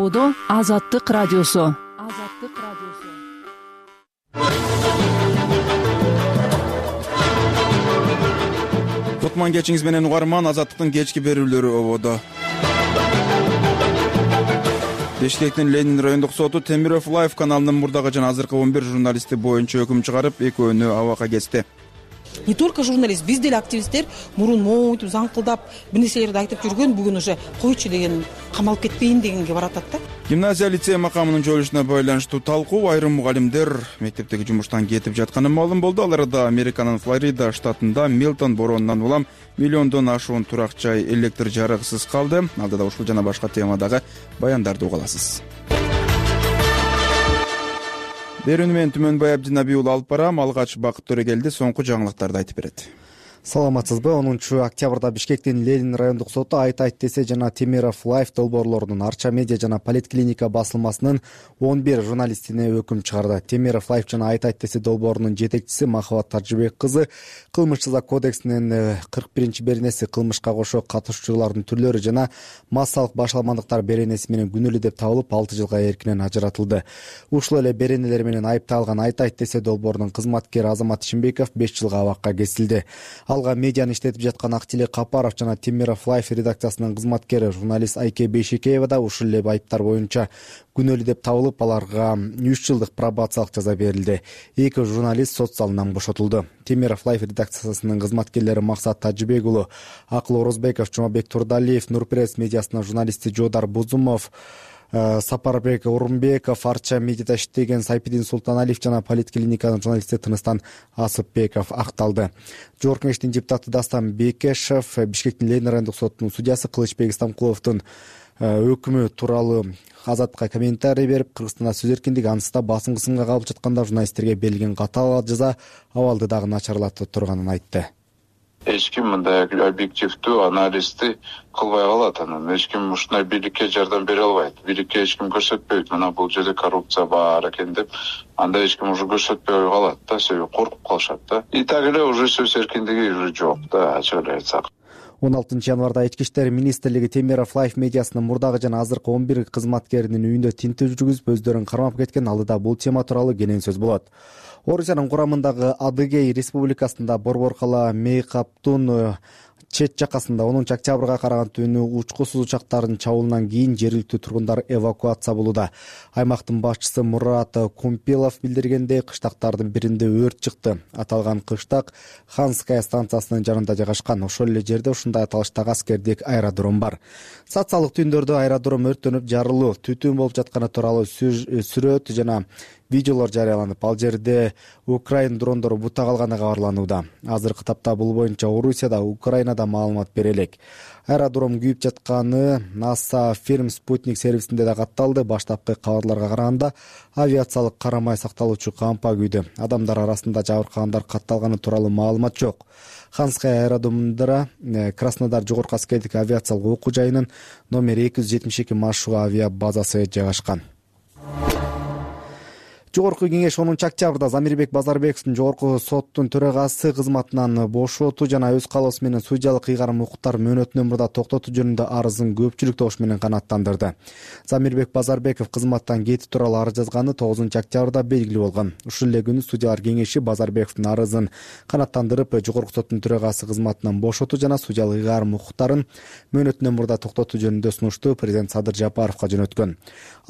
ободо Азаттык радиосу. Кутман кечиңиз менен угарман. Азаттыктын кечки берүүлөрү ободо. Бишкектин Ленин райондук соту Темиров Лайф каналынын мурдагы жана азыркы 11 журналисти боюнча өкүм чыгарып, экөөнү абакка кести. Не только журналист, биз деле активисттер мурун мойтуп заңкылдап бир нерселерди айтып жүргөн, бүгүн уже койчу деген, камалып кетпейин дегенге баратат да. Гимназия лицей макамынын жойулушуна байланыштуу талкуу айрым мугалимдер мектептеги жумуштан кетип жатканы маалым болду. Аларда Американын Флорида штатында Милтон боронунан улам миллиондон ашуун турак жай электр жарыгысыз калды. Алдыда ушул жана башка темадагы баяндарды уга аласыз. Берүүнү мен Түмөнбай Абдинабий уулу алып барам. Алгач Бакыт Төрөгелди соңку жаңылыктарды айтып берет. Саламатсызбы? 10-октябрда Бишкектин Ленин райондук соту Айт десе жана Темиров Лайф долбоорлорунун Арча медиа жана Политклиника басылмасынын 11 журналистине өкүм чыгарды. Темиров Лайф жана Айт десе долбоорунун жетекчиси Махабат Таржыбек кызы Кылмыш жаза кодексинин 41 беренеси кылмышка кошо катышуучулардын түрлөрү жана массалык башаламандыктар беренеси менен күнөөлүү деп табылып 6 жылга эркинен ажыратылды. Ушул эле беренелер менен айыпталган Айт десе долбоорунун кызматкери Азамат Шимбеков 5 жылга абакка кесилди. Алга медианы иштетип жаткан Актилек Капаров жана Темиров Лайф редакциясынын кызматкери журналист Айке Бейшекеева да ушул эле айыптар боюнча күнөөлүү деп табылып, аларга 3 жылдык пробациялык жаза берилди. 2 журналист сот залынан бошотулду. Темиров Лайф редакциясынын кызматкерлери Максат Тажыбек уулу, Акыл Орозбеков, Жумабек Турдалиев, Нурпресс медиасынын журналисти Жодар Бузумов, Сапарбек Урумбеков, Арча медиада иштеген Сайпидин Султаналиев жана Политклиниканын журналисти Тыныстан Асыпбеков акталды. Жогорку кеңештин депутаты Дастан Бекешев Бишкектин Ленин райондук сотунун судьясы Кылычбек Истамкуловдун өкүмү тууралуу Азаттыкка комментарий берип, Кыргызстанда сөз эркиндиги ансызда басым кысымга калып жатканда журналисттерге берилген катаал жаза абалды дагы начарлатып турганын айтты. Эч ким мындай объективдүү анализди кылбай калат. Анан эч ким ушундай бийликке жардам бере албайт. Бийликке эч ким көрсөтпөйт. Мына бул жерде коррупция бар экен деп, анда эч ким уже көрсөтпөй калат да, себеби коркуп калышат да. И так эле уже сөз эркиндиги уже жок да, ачык эле айтсак. 16 январда Ички иштер министрлиги Темиров Лайф медиасынын мурдагы жана азыркы 11 кызматкеринин үйүндө тинтүү жүргүзүп, өздөрүн кармап кеткен. Алдыда бул тема тууралуу кенен сөз болот. Орусиянын курамындагы Адыгей республикасында Борборкала Мейкаптун чет жакасында 10 октябрга караган түнү учкусуз учактардын чабуулунан кийин жергиликтүү тургундар эвакуация болууда. Аймактын башчысы Мурат Кумпилов билдиргендей, кыштактардын биринде өрт чыкты. Аталган кыштак Ханская станциясынын жанында жайгашкан. Ошол эле жерде ушундай аталыштагы аскердик аэродром бар. Социалдык түндөрдө аэродром өрттөнүп жарылуу, түтүн болуп жатканы тууралуу сүрөт жана видеолор жарыяланып, ал жерде Украин дрондору бута калганы кабарланууда. Азыркы тапта бул боюнча Орусияда, Украинада маалымат бере элек. Аэродром күйүп жатканы NASA Film Sputnik сервисинде да катталды. Баштапкы кабарларга караганда авиациялык карамай сакталуучу кампа күйдү. Адамдар арасында жабыркагандар катталганы тууралуу маалымат жок. Ханская аэродромунда Краснодар жогорку аскердик авиациялык окуу жайынын номер 272 маршрут авиа базасы жайгашкан. Жогорку кеңеш 10 октябрда Замирбек Базарбековдун жогорку соттун төрагасы кызматынан бошотуу жана өз каалоосу менен судьялык ыйгарым укуктар мөөнөтүнөн мурда токтотуу жөнүндө арызын көпчүлүк добуш менен канааттандырды. Замирбек Базарбеков кызматтан кетүү тууралуу арыз жазганы 9 октябрда белгилүү болгон. Ушул эле күнү судьялар кеңеши Базарбековдун арызын канааттандырып, жогорку соттун төрагасы кызматынан бошотуу жана судьялык ыйгарым укуктарын мөөнөтүнөн мурда токтотуу жөнүндө сунушту президент Садыр Жапаровго жөнөткөн.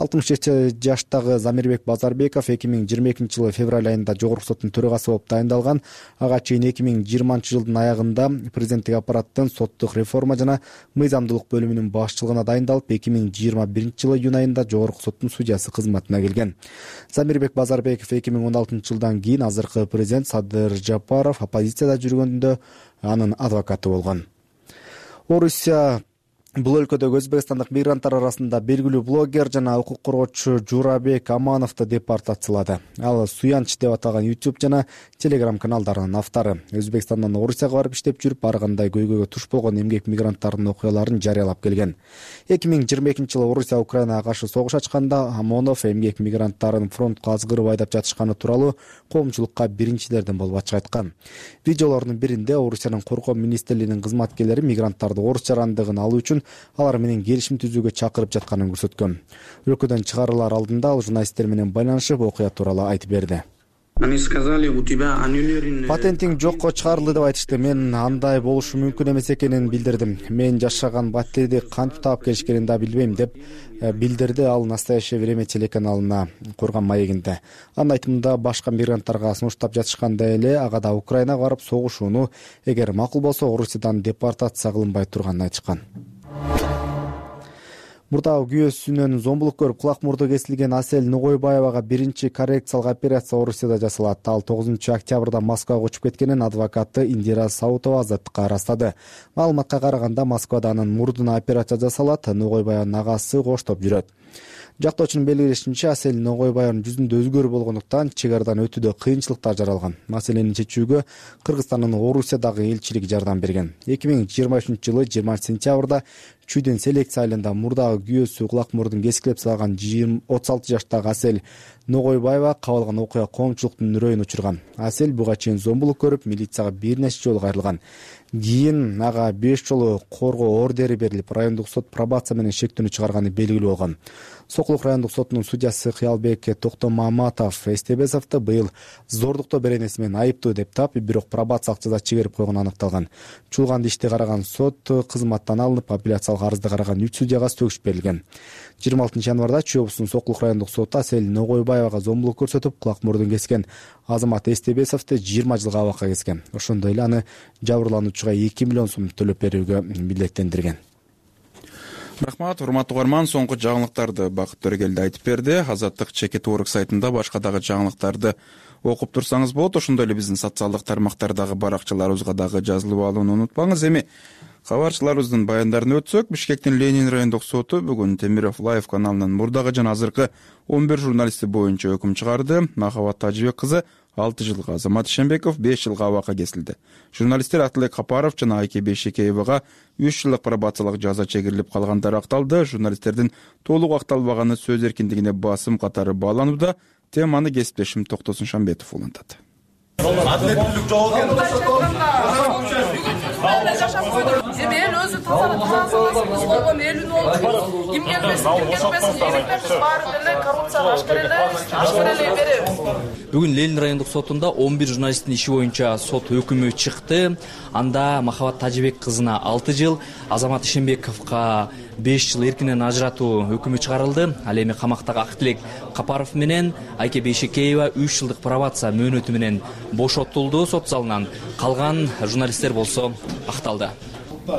67 жаштагы Замирбек Базарбеков 2022 жылы февраль айында жогорку соттун төрагасы болуп дайындалган. Ага чейин 2020 жылдын аягында президенттик аппараттын соттук реформа жана мыйзамдуулук бөлүмүнүн башчылыгына дайындалып, 2021 жылы июнь айында жогорку соттун судьясы кызматына келген. Замирбек Базарбеков 2016 жылдан кийин азыркы президент Садыр Жапаров оппозицияда жүргөндө анын адвокаты болгон. Орусия Бул өлкөдөгү өзбекстандык мигранттар арасында белгилүү блогер жана укук коргоочу Журабек Амановду депортациялады. Ал Суянч деп аталган YouTube жана Telegram каналдарынын автору. Өзбекстандан Орусияга барып иштеп жүрүп, ар кандай көйгөйгө туш болгон эмгек мигранттардын окуяларын жарыялап келген. 2022 жылы Орусия Украинага каршы согуш ачканда Амонов эмгек мигранттарын фронтко азгырып айдап жатышканы тууралуу коомчулукка биринчилерден болуп ачык айткан. Видеолордун биринде Орусиянын коргоо министрлигинин кызматкерлери мигранттарды орус жарандыгын алуу үчүн алар менен келишим түзүүгө чакырып жатканын көрсөткөн. Өлкөдөн чыгарылар алдында ал журналисттер менен байланышып окуя тууралуу айтып берди. Патентиң жокко чыгарылды деп айтышты. Мен андай болушу мүмкүн эмес экенин билдирдим. Мен жашаган батирди кантип таап келишкенин да билбейм деп билдирди ал Настоящее время телеканалына курган маегинде. Анын айтымында башка мигранттарга сунуштап жатышкандай эле ага да Украинага барып согушууну, эгер макул болсо Орусиядан депортация кылынбай турганын айтышкан. Мурдагы күйөөсүнөн зомбулук көрүп кулак мурду кесилген Асель Ногойбаевага биринчи коррекциялык операция Орусияда жасалат. Ал 9 октябрда Москвага учуп кеткенин адвокаты Индира Саутова азаттыкка ырастады. Маалыматка караганда Москвада анын мурдуна операция жасалат. Ногойбаевдин агасы коштоп жүрөт. Жактоочунун белгилешинче, Асель Ногойбаевдин жүзүндө өзгөрүү болгондуктан чек арадан өтүүдө кыйынчылыктар жаралган. Маселени чечүүгө Кыргызстандын Орусиядагы элчилиги жардам берген. 2023-жылы 20 сентябрда Чүйден селекция айылында мурдагы күйөөсү кулак мурдун кескилеп салган 36 жаштагы Асель Ногойбаева кабылган окуя коомчулуктун үрөйүн учурган. Асель буга чейин зомбулук көрүп, милицияга бир нече жолу кайрылган. Кийин ага 5 жолу коргоо ордери берилип, райондук сот пробация менен шектүүнү чыгарганы белгилүү болгон. Сокулук райондук сотунун судьясы Кыялбек Токтомаматов Эстебесовду быйыл зордуктоо беренеси менен айыптуу деп таап, бирок пробациялык жаза чыгарып койгону аныкталган. Чуулган ишти караган сот кызматтан алынып, апелляциялык арызды караган 3 судьяга сөгүш берилген. 26 январда Чүй облусунун Сокулук райондук соту Асель Ногойбаевага зомбулук көрсөтүп, кулак мурдун кескен Азамат Эстебесовду 20 жылга абакка кескен. Ошондой эле аны жабырлануучуга 2 миллион сом төлөп берүүгө милдеттендирген. Рахмат, урматтуу угарман, соңку жаңылыктарды Бакыт Төрөгелди айтып берди. Азаттык Чекит Орг сайтында башка дагы жаңылыктарды окуп турсаңыз болот. Ошондой эле биздин социалдык тармактардагы баракчаларыбызга дагы жазылып алууну унутпаңыз. Эми кабарчыларыбыздын баяндарын өтсөк, Бишкектин Ленин райондук соту бүгүн Темиров Лайв каналынын мурдагы жана азыркы 11 журналисти боюнча өкүм чыгарды. Махабат Тажибек кызы 6 жылга, Азамат Ишенбеков 5 жылга абакка кесилди. Журналисттер Атылек Капаров жана Айке Бейшекеевага 3 жылдык пробациялык жаза чегирилип калгандары акталды. Журналисттердин толук акталбаганы сөз эркиндигине басым катары бааланууда. Теманы кесиптешим Токтосун Шамбетов улантат. Адилеттүүлүк жок эми эл өзү тазалап болгон элүн болду. Ким келбесин, баары деле коррупцияга ашкар эле беребиз. Бүгүн Ленин райондук сотунда 11 журналисттин иши боюнча сот өкүмү чыкты. Анда Махабат Тажибек кызына 6 жыл, Азамат Ишенбековго 5 жыл эркинен ажыратуу өкүмү чыгарылды. Ал эми камактагы Актилек Капаров менен Айке Бейшекеева 3 жылдык пробация мөөнөтү менен бошотулду сот залынан. Калган журналисттер болсо акталды.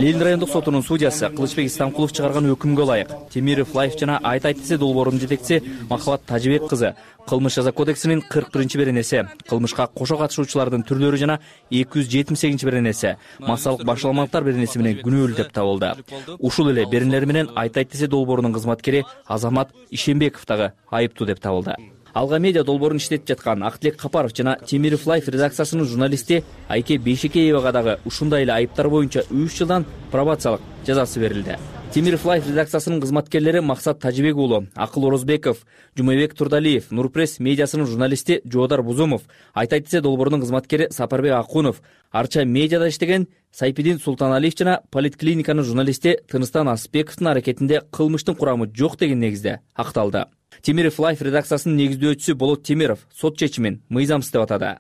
Ленин райондук сотунун судьясы Кылычбек Исламкулов чыгарган өкүмгө ылайык Темиров Лайв жана Айт десе долбоорунун жетекчиси Махабат Тажибек кызы Кылмыш жаза кодексинин 41 беренеси, кылмышка кошо катышуучулардын түрлөрү жана 278 беренеси, массалык башаламалыктар беренеси менен күнөөлүү деп табылды. Ушул эле беренелер менен Айт десе долбоорунун кызматкери Азамат Ишенбеков дагы айыптуу деп табылды. Алга медиа долбоорун иштетип жаткан Актилек Капаров жана Темиров Лайв редакциясынын журналисти Айке Бейшекеевага дагы ушундай эле айыптар боюнча 3 жылдан пробациялык жазасы берилди. Темиров Лайв редакциясынын кызматкерлери Максат Тажибек уулу, Акыл Орозбеков, Жумабек Турдалиев, Нурпресс медиасынын журналисти Жоодар Бузумов, Айт десе долбоорунун кызматкери Сапарбек Акунов, Арча медиада иштеген Сайпидин Султаналиев жана поликлиниканын журналисти Тыныстан Асыпбековдун аракетинде кылмыштын курамы жок деген негизде акталды. Темиров Лайв редакциясынын негиздөөчүсү Болот Темиров сот чечимин мыйзамсыз деп атады.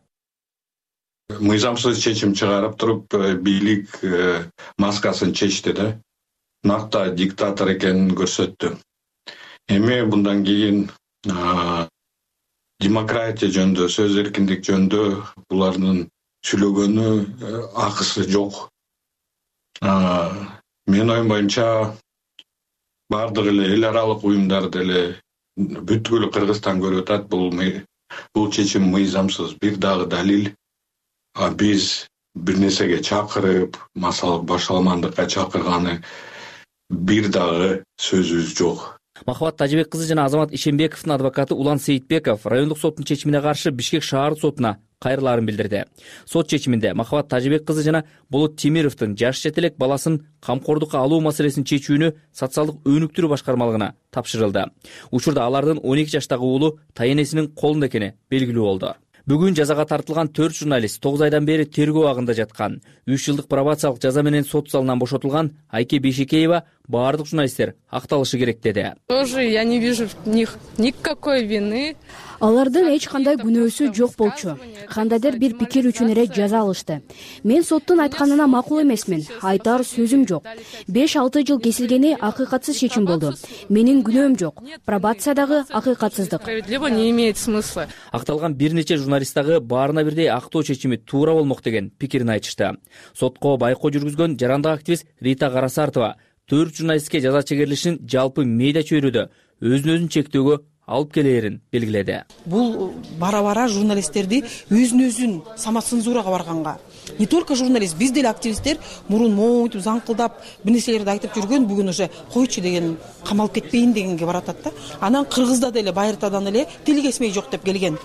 Мыйзамсыз чечим чыгарып туруп, бийлик маскасын чечти да. Накта диктатор экенин көрсөттү. Эми мындан кийин демократия жөнүндө, сөз эркиндик жөнүндө булардын сүйлөгөнү акысы жок. Менин оюм боюнча бардык эле эл аралык уюмдар деле бүткүл Кыргызстан көрүп атат, бул чечим мыйзамсыз. Бир дагы далил, биз бир нерсеге чакырып, массалык башаламандыкка чакырганы бир дагы сөзүбүз жок. Махабат Тажибек кызы жана Азамат Ишенбековдун адвокаты Улан Сейитбеков райондук соттун чечимине каршы Бишкек шаардык сотуна кайрылаарын билдирди. Сот чечиминде Махабат Тажибек кызы жана Болот Темировдун жаш жетелек баласын камкордукка алуу маселесин чечүүнү социалдык өнүктүрүү башкармалыгына тапшырылды. Учурда алардын 12 жаштагы уулу тайенесинин колунда экени белгилүү болду. Бүгүн жазага тартылган 4 журналист 9 айдан бери тергөө абагында жаткан. 3 жылдык пробациялык жаза менен сот залынан бошотулган Айке Бейшекеева баардык журналисттер акталышы керек деди. Тоже я не вижу в них никакой вины. Алардын эч кандай күнөөсү жок болчу. Кандайдыр бир пикир үчүн эле жаза алышты. Мен соттун айтканына макул эмесмин. Айтар сөзүм жок. 5-6 жыл кесилгени акыйкатсыз чечим болду. Менин күнөөм жок. Пробация дагы акыйкатсыздык. Справедливо не имеет смысла. Акталган бир нече журналист дагы баарына бирдей актоо чечими туура болмок деген пикирин айтышты. Сотко байкоо жүргүзгөн жарандык активист Рита Карасартова 4 журналистке жаза чегерилишин жалпы медиа чөйрөдө өзүн чектөөгө алып келээрин белгиледи. Бул бара-бара журналисттерди өзүн самоцензурага барганга. Не только журналист, биз деле активисттер мурун мойтуп заңкылдап бир нерселерди айтып жүргөн, бүгүн уже койчу деген, камалып кетпейин дегенге баратат да. Анан Кыргызда деле байыртадан эле тил кесмей жок деп келген.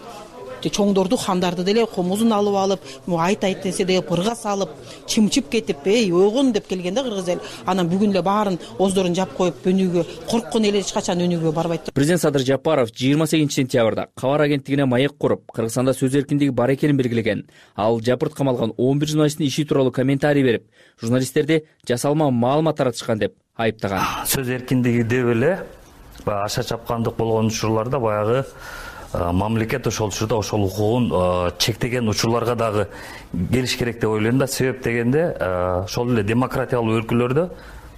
Чоңдорду, хандарды деле комузун алып алып, айт десе деле пырга салып, чымчып кетип, ойгон деп келген да кыргыз эл. Анан бүгүн эле баарын оздорун жап коюп, өнүгүү, корккон эл эч качан өнүгүүгө барбайт. Президент Садыр Жапаров 28-сентябрда Кабар агенттигине маек куруп, Кыргызстанда сөз эркиндиги бар экенин белгилеген. Ал жапырт камалган 11 журналисттин иши тууралуу комментарий берип, журналисттерди жасалма маалымат таратышкан деп айыптаган. Сөз эркиндиги деп эле аша чапкандык болгон учурларда баягы мамлекет ошол учурда ошол укугун чектеген учурларга дагы келиш керек деп ойлойм да. Себеп дегенде ошол эле демократиялуу өлкөлөрдө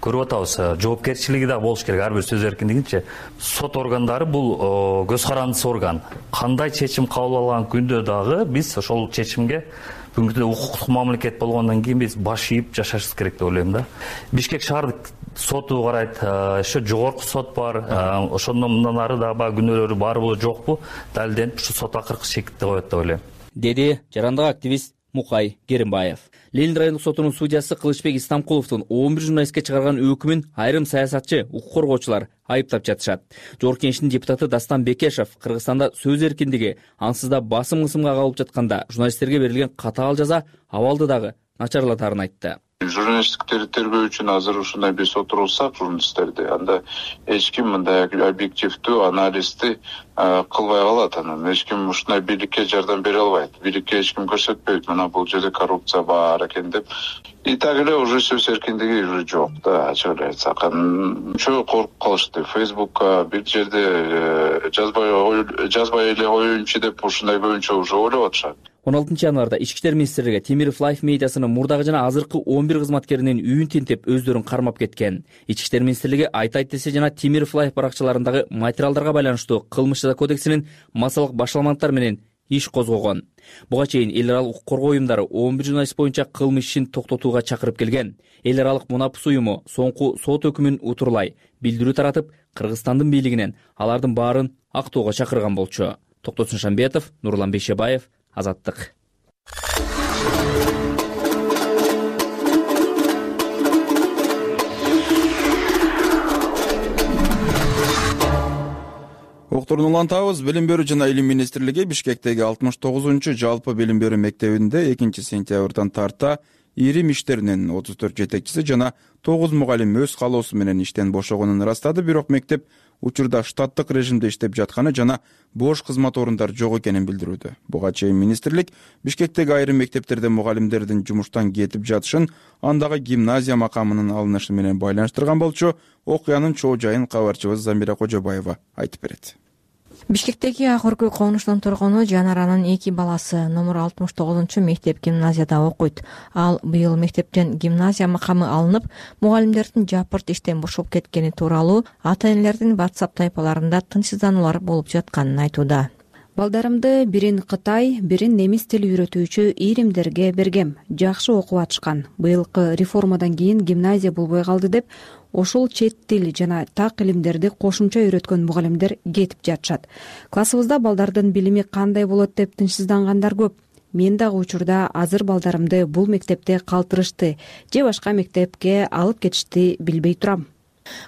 көрүп атабыз, жоопкерчилиги дагы болуш керек ар бир сөз эркиндигинче. Сот органдары бул көз карандысы орган. Кандай чечим кабыл алган күндө дагы биз ошол чечимге бүгүнкү күндө укуктук мамлекет болгондон кийин биз баш ийип жашашыбыз керек деп ойлойм да. Бишкек шаардык соту карайт, еще жогорку сот бар, ошондон мындан ары да баягы күнөөлөрү барбы жокпу далилденип ушу сот акыркы чекитти коет деп ойлойм, деди жарандык активист Мукай Керимбаев. Ленин райондук сотунун судьясы Кылычбек Истамкуловдун 11 журналистке чыгарган өкүмүн айрым саясатчы, укук коргоочулар айыптап жатышат. Жогорку Кеңештин депутаты Дастан Бекешев Кыргызстанда сөз эркиндиги ансыз да басым-кысымга калып жатканда журналисттерге берилген катаал жаза абалды дагы начарлатарын айтты. Журналисттиктерди тергөө үчүн азыр ушундай биз отурулсак журналисттерди, анда эч ким мындай объективдүү анализди кылбай калат. Анан эч ким ушундай бийликке жардам бере албайт. Бийликке эч ким көрсөтпөйт, мына бул жерде коррупция бар экен деп. И так эле уже сөз эркиндиги уже жок да, ачык эле айтсак. Чөө коркуп калышты. Фейсбукка бир жерде жазбай эле коеюнчу деп ушундай көбүнчө уже ойлоп атышат. 16 январда Ички иштер министрлиги Темиров Лайф медиасынын мурдагы жана азыркы 11 кызматкеринин үйүн тинтип өздөрүн кармап кеткен. Ички иштер министрлиги Айт десе жана Темиров Лайф баракчаларындагы материалдарга байланыштуу кылмыш жаза кодексинин массалык башаламалыктар менен иш козгогон. Буга чейин эл аралык укук коргоо уюмдары 11 журналист боюнча кылмыш ишин токтотууга чакырып келген. Эл аралык Мунапс уюму соңку сот өкүмүн утурлай билдирүү таратып, Кыргызстандын бийлигинен алардын баарын актоого чакырган болчу. Токтосун Шамбетов, Нурлан Бейшебаев, Азаттык. Окторун улантабыз. Билим берүү жана илим министрлиги Бишкектеги 69-чу жалпы билим берүү мектебинде 2-сентябрдан тарта ирим иштеринин 34 жетекчиси жана 9 мугалим өз калоосу менен иштен бошогонун ырастады. Бирок мектеп учурда штаттык режимде иштеп жатканы жана бош кызмат орундары жок экенин билдирүүдө. Буга чейин министрлик Бишкектеги айрым мектептерде мугалимдердин жумуштан кетип жатышын, андагы гимназия макамынын алынышы менен байланыштырган болчу. Окуянын чоо жайын кабарчыбыз Замира Кожобаева айтып берет. Бишкектеги Ак Өркөй конуштун тургуну Жанаранын 2 баласы номер 69-чу мектеп гимназияда окуйт. Ал быйыл мектептен гимназия макамы алынып, мугалимдердин жапырт иштен бошоп кеткени тууралуу ата-энелердин WhatsApp тайпаларында тынчсыздануулар болуп жатканын айтууда. Балдарымды бирин Кытай, бирин немис тил үйрөтүүчү иримдерге бергем. Жакшы окуп атышкан. Быйылкы реформадан кийин гимназия болбой калды деп ошол чет тил жана так илимдерди кошумча үйрөткөн мугалимдер кетип жатышат. Классыбызда балдардын билими кандай болот деп тынчсыздангандар көп. Мен дагы учурда азыр балдарымды бул мектепте калтырышты же башка мектепке алып кетишти билбей турам.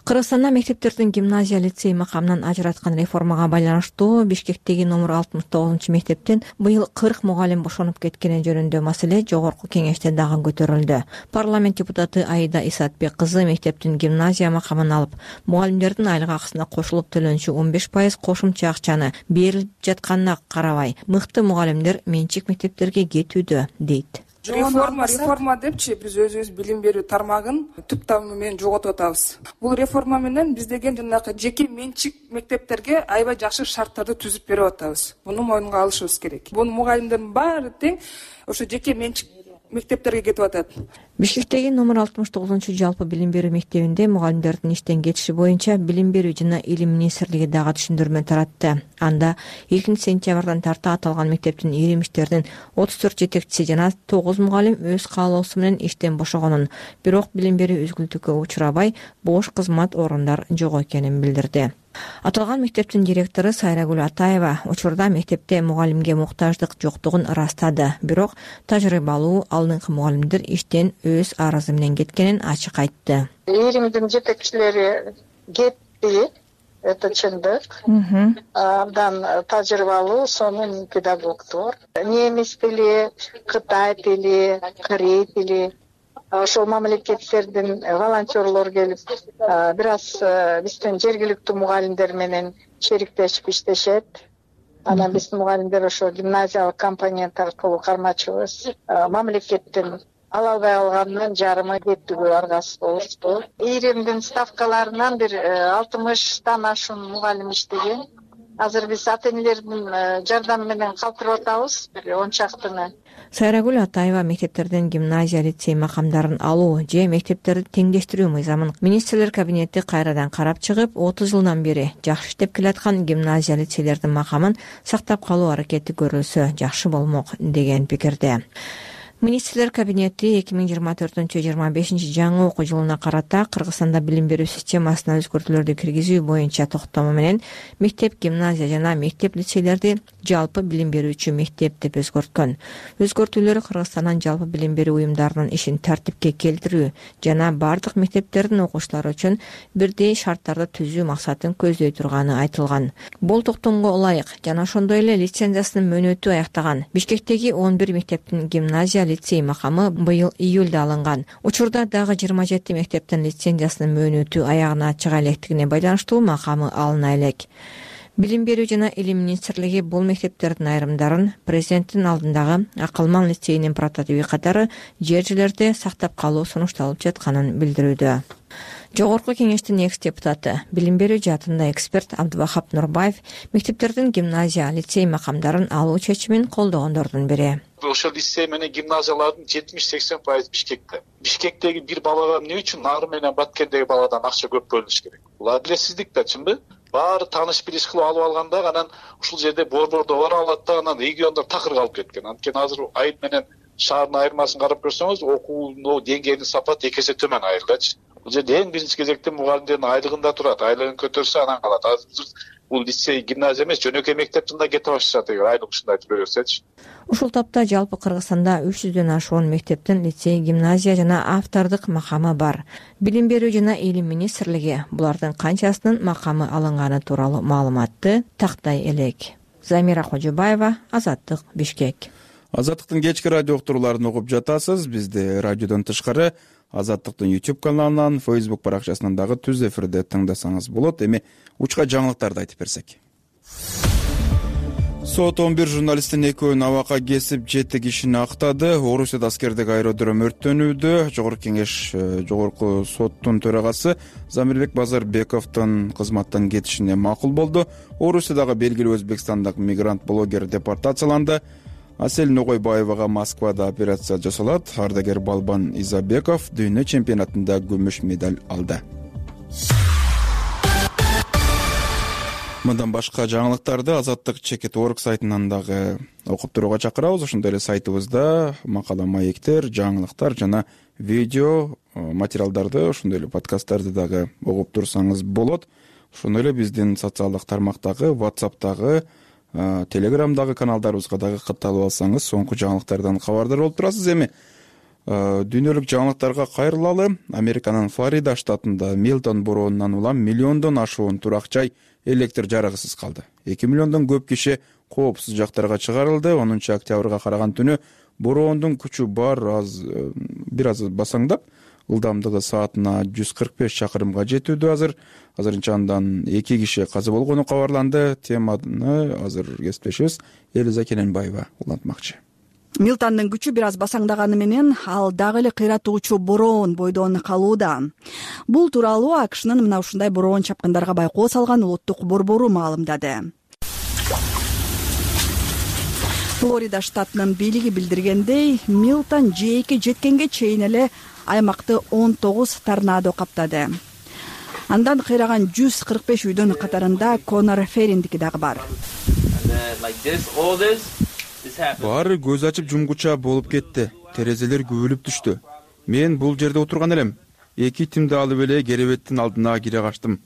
Кыргызстанда мектептердин гимназия лицей макамынан ажыраткан реформага байланыштуу Бишкектеги номер 69-чу мектептен быйыл 40 мугалим бошонуп кеткени жөнүндө маселе жогорку кеңеште дагы көтөрүлдү. Парламент депутаты Аида Исатбек кызы мектептин гимназия макамын алып, мугалимдердин айлык акысына кошулуп төлөнчү 15% кошумча акчаны берилип жатканына карабай, мыкты мугалимдер менчик мектептерге кетүүдө дейт. реформа депчи биз өзүбүз билим берүү тармагын түп тамыры менен жоготуп атабыз. Бул реформа менен биз деген жанагы жеке менчик мектептерге аябай жакшы шарттарды түзүп берип атабыз. Муну мойнуна алышыбыз керек. Бул мугалимдердин баары тең ошо жеке менчик мектептерге кетип атат. Бишкектеги номер 69 жалпы билим берүү мектебинде мугалимдердин иштен кетиши боюнча Билим берүү жана илим министрлиги дагы түшүндүрмө таратты. Анда 2-сентябрдан тарта аталган мектептин иримиштердин 34 жетекчиси жана 9 мугалим өз каалоосу менен иштен бошогонун, бирок билим берүү үзгүлтүккө учурабай бош кызмат орундар жок экенин билдирди. Аталган мектептин директору Сайрагүл Атаева учурда мектепте мугалимге муктаждык жоктугун ырастады, бирок тажрыйбалуу алдыңкы мугалимдер иштен өз арызы менен кеткенин ачык айтты. Иримдин жетекчилери кетти, это чындык. Абдан тажрыйбалуу сонун педагогдор. Немис тили, Кытай тили, Корей тили, ошол мамлекеттердин волонтерлор келип, бир аз биздин жергиликтүү мугалимдер менен шериктешип иштешет. Анан биздин мугалимдер ошо гимназиялык компонент аркылуу кармачыбыз. Мамлекеттин ала албай калганынан жарымы кеттүгү аргасыз болушту. Иримдин ставкаларынан бир 60тан ашуун мугалим иштеген. Азыр биз ата-энелердин жардамы менен калтырып атабыз, бир 10 чактыны. Сайрагүл Атаева мектептерден гимназия, лицей макамдарын алуу же мектептерди теңдештирүү мыйзамын министрлер кабинети кайрадан карап чыгып, 30 жылдан бери жакшы иштеп келаткан гимназия, лицейлердин макамын сактап калуу аракети көрүлсө жакшы болмок деген пикирде. Министрлер кабинети 2024-25 жаңы окуу жылына карата Кыргызстанда билим берүү системасына өзгөртүүлөрдү киргизүү боюнча токтому менен мектеп, гимназия жана мектеп, лицейлерди жалпы билим берүүчү мектеп деп өзгөрткөн. Өзгөртүүлөр Кыргызстандын жалпы билим берүү уюмдарынын ишин тартипке келтирүү жана бардык мектептердин окуучулары үчүн бирдей шарттарды түзүү максатын көздөй турганы айтылган. Бул токтомго ылайык жана ошондой эле лицензиясынын мөөнөтү аяктаган Бишкектеги 11 мектептин гимназия, лицей макамы быйыл июлда алынган. Учурда дагы 27 мектептин лицензиясынын мөөнөтү аягына чыга электигине байланыштуу макамы алына элек. Билим берүү жана илим министрлиги бул мектептердин айрымдарын президенттин алдындагы Акылман лицейинин прототиби катары жер-жерлерде сактап калуу сунушталып жатканын билдирүүдө. Жогорку кеңештин экс-депутаты, билим берүү жаатында эксперт Абдубахап Нурбаев мектептердин гимназия, лицей макамдарын алуу чечимин колдогондордун бири. Ошол лицей менен гимназиялардын 70-80% Бишкекте. Бишкектеги бир балага эмне үчүн Нары менен Баткендеги баладан акча көп бөлүнүш керек? Бул адилетсиздик да, чынбы? Баары тааныш билиш кылып алып алганда анан ушул жерде борбордо бара алат да, анан региондор такыр калып кеткен. Анткени азыр айыл менен шаардын айырмасын карап көрсөңүз, окуунун деңгээлинин сапаты 2 эсе төмөн айылдачы. Бул жерде эң биринчи кезекте мугалимдердин айлыгында турат. Айлыгын көтөрсө анан калат. Азыр бул лицей, гимназия эмес, жөнөкөй мектептин да кетип башташат эгер айлык ушундай айтып берсечи. Ушул тапта жалпы Кыргызстанда 300дөн ашуун мектептин лицей, гимназия жана автордук макамы бар. Билим берүү жана илим министрлиги булардын канчасынын макамы алынганы тууралуу маалыматты тактай элек. Замира Кожобаева, Азаттык, Бишкек. Азаттыктын кечки радио уктурууларын угуп жатасыз. Бизди радиодон тышкары Азаттыктын YouTube каналынан, Facebook баракчасынан дагы түз эфирде тыңдасаңыз болот. Эми учка жаңылыктарды айтып берсек. Сот 11 журналисттин экөөнүн абакка кесип 7 кишини актады. Орусияда аскердик аэродром өрттөнүүдө. Жогорку соттун төрагасы Замирбек Базарбековдун кызматтан кетишине макул болду. Орусиядагы белгилүү өзбекстандык мигрант-блогер депортацияланды. Асель Ногойбаевага Москвада операция жасалат. Ардагер Балбан Изабеков дүйнө чемпионатында күмүш медаль алды. Мындан башка жаңылыктарды Азаттык Чекит.org сайтынан дагы окуп турууга чакырабыз. Ошондой эле сайтыбызда макала, маектер, жаңылыктар жана видео материалдарды, ошондой эле подкасттарды дагы угуп турсаңыз болот. Ошондой эле биздин социалдык тармактагы, WhatsApp'тагы, Телеграмдагы каналдарыбызга дагы катталып алсаңыз, соңку жаңылыктардан кабардар болуп турасыз. Эми дүйнөлүк жаңылыктарга кайрылалы. Американын Флорида штатында Милтон бороонунан улам миллиондон ашуун турак жай электр жарыгысыз калды. 2 миллиондон көп киши коопсуз жактарга чыгарылды. 10 октябрга караган түнү бороондун күчү бир аз басаңдап, ылдамдыгы саатына 145 чакырымга жетүүдө. Азырынча андан 2 киши каза болгону кабарланды. Теманы азыр кесиптешибиз Элиза Кененбаева улантмакчы. Милтандын күчү бир аз басаңдаганы менен ал дагы эле кыйратуучу бороон бойдон калууда. Бул тууралуу АКШнын мына ушундай бороон чапкындарга байкоо салган улуттук борбору маалымдады. Флорида штатынын бийлиги билдиргендей, Милтон жээкке жеткенге чейин эле аймакты 19 торнадо каптады. Андан кыйраган 145 үйдүн катарында Конор Фериндики дагы бар. Баары көз ачып жумгуча болуп кетти. Терезелер күбөлүп түштү. Мен бул жерде отурган элем. 2 тимди алып эле керебеттин алдына кире качтым.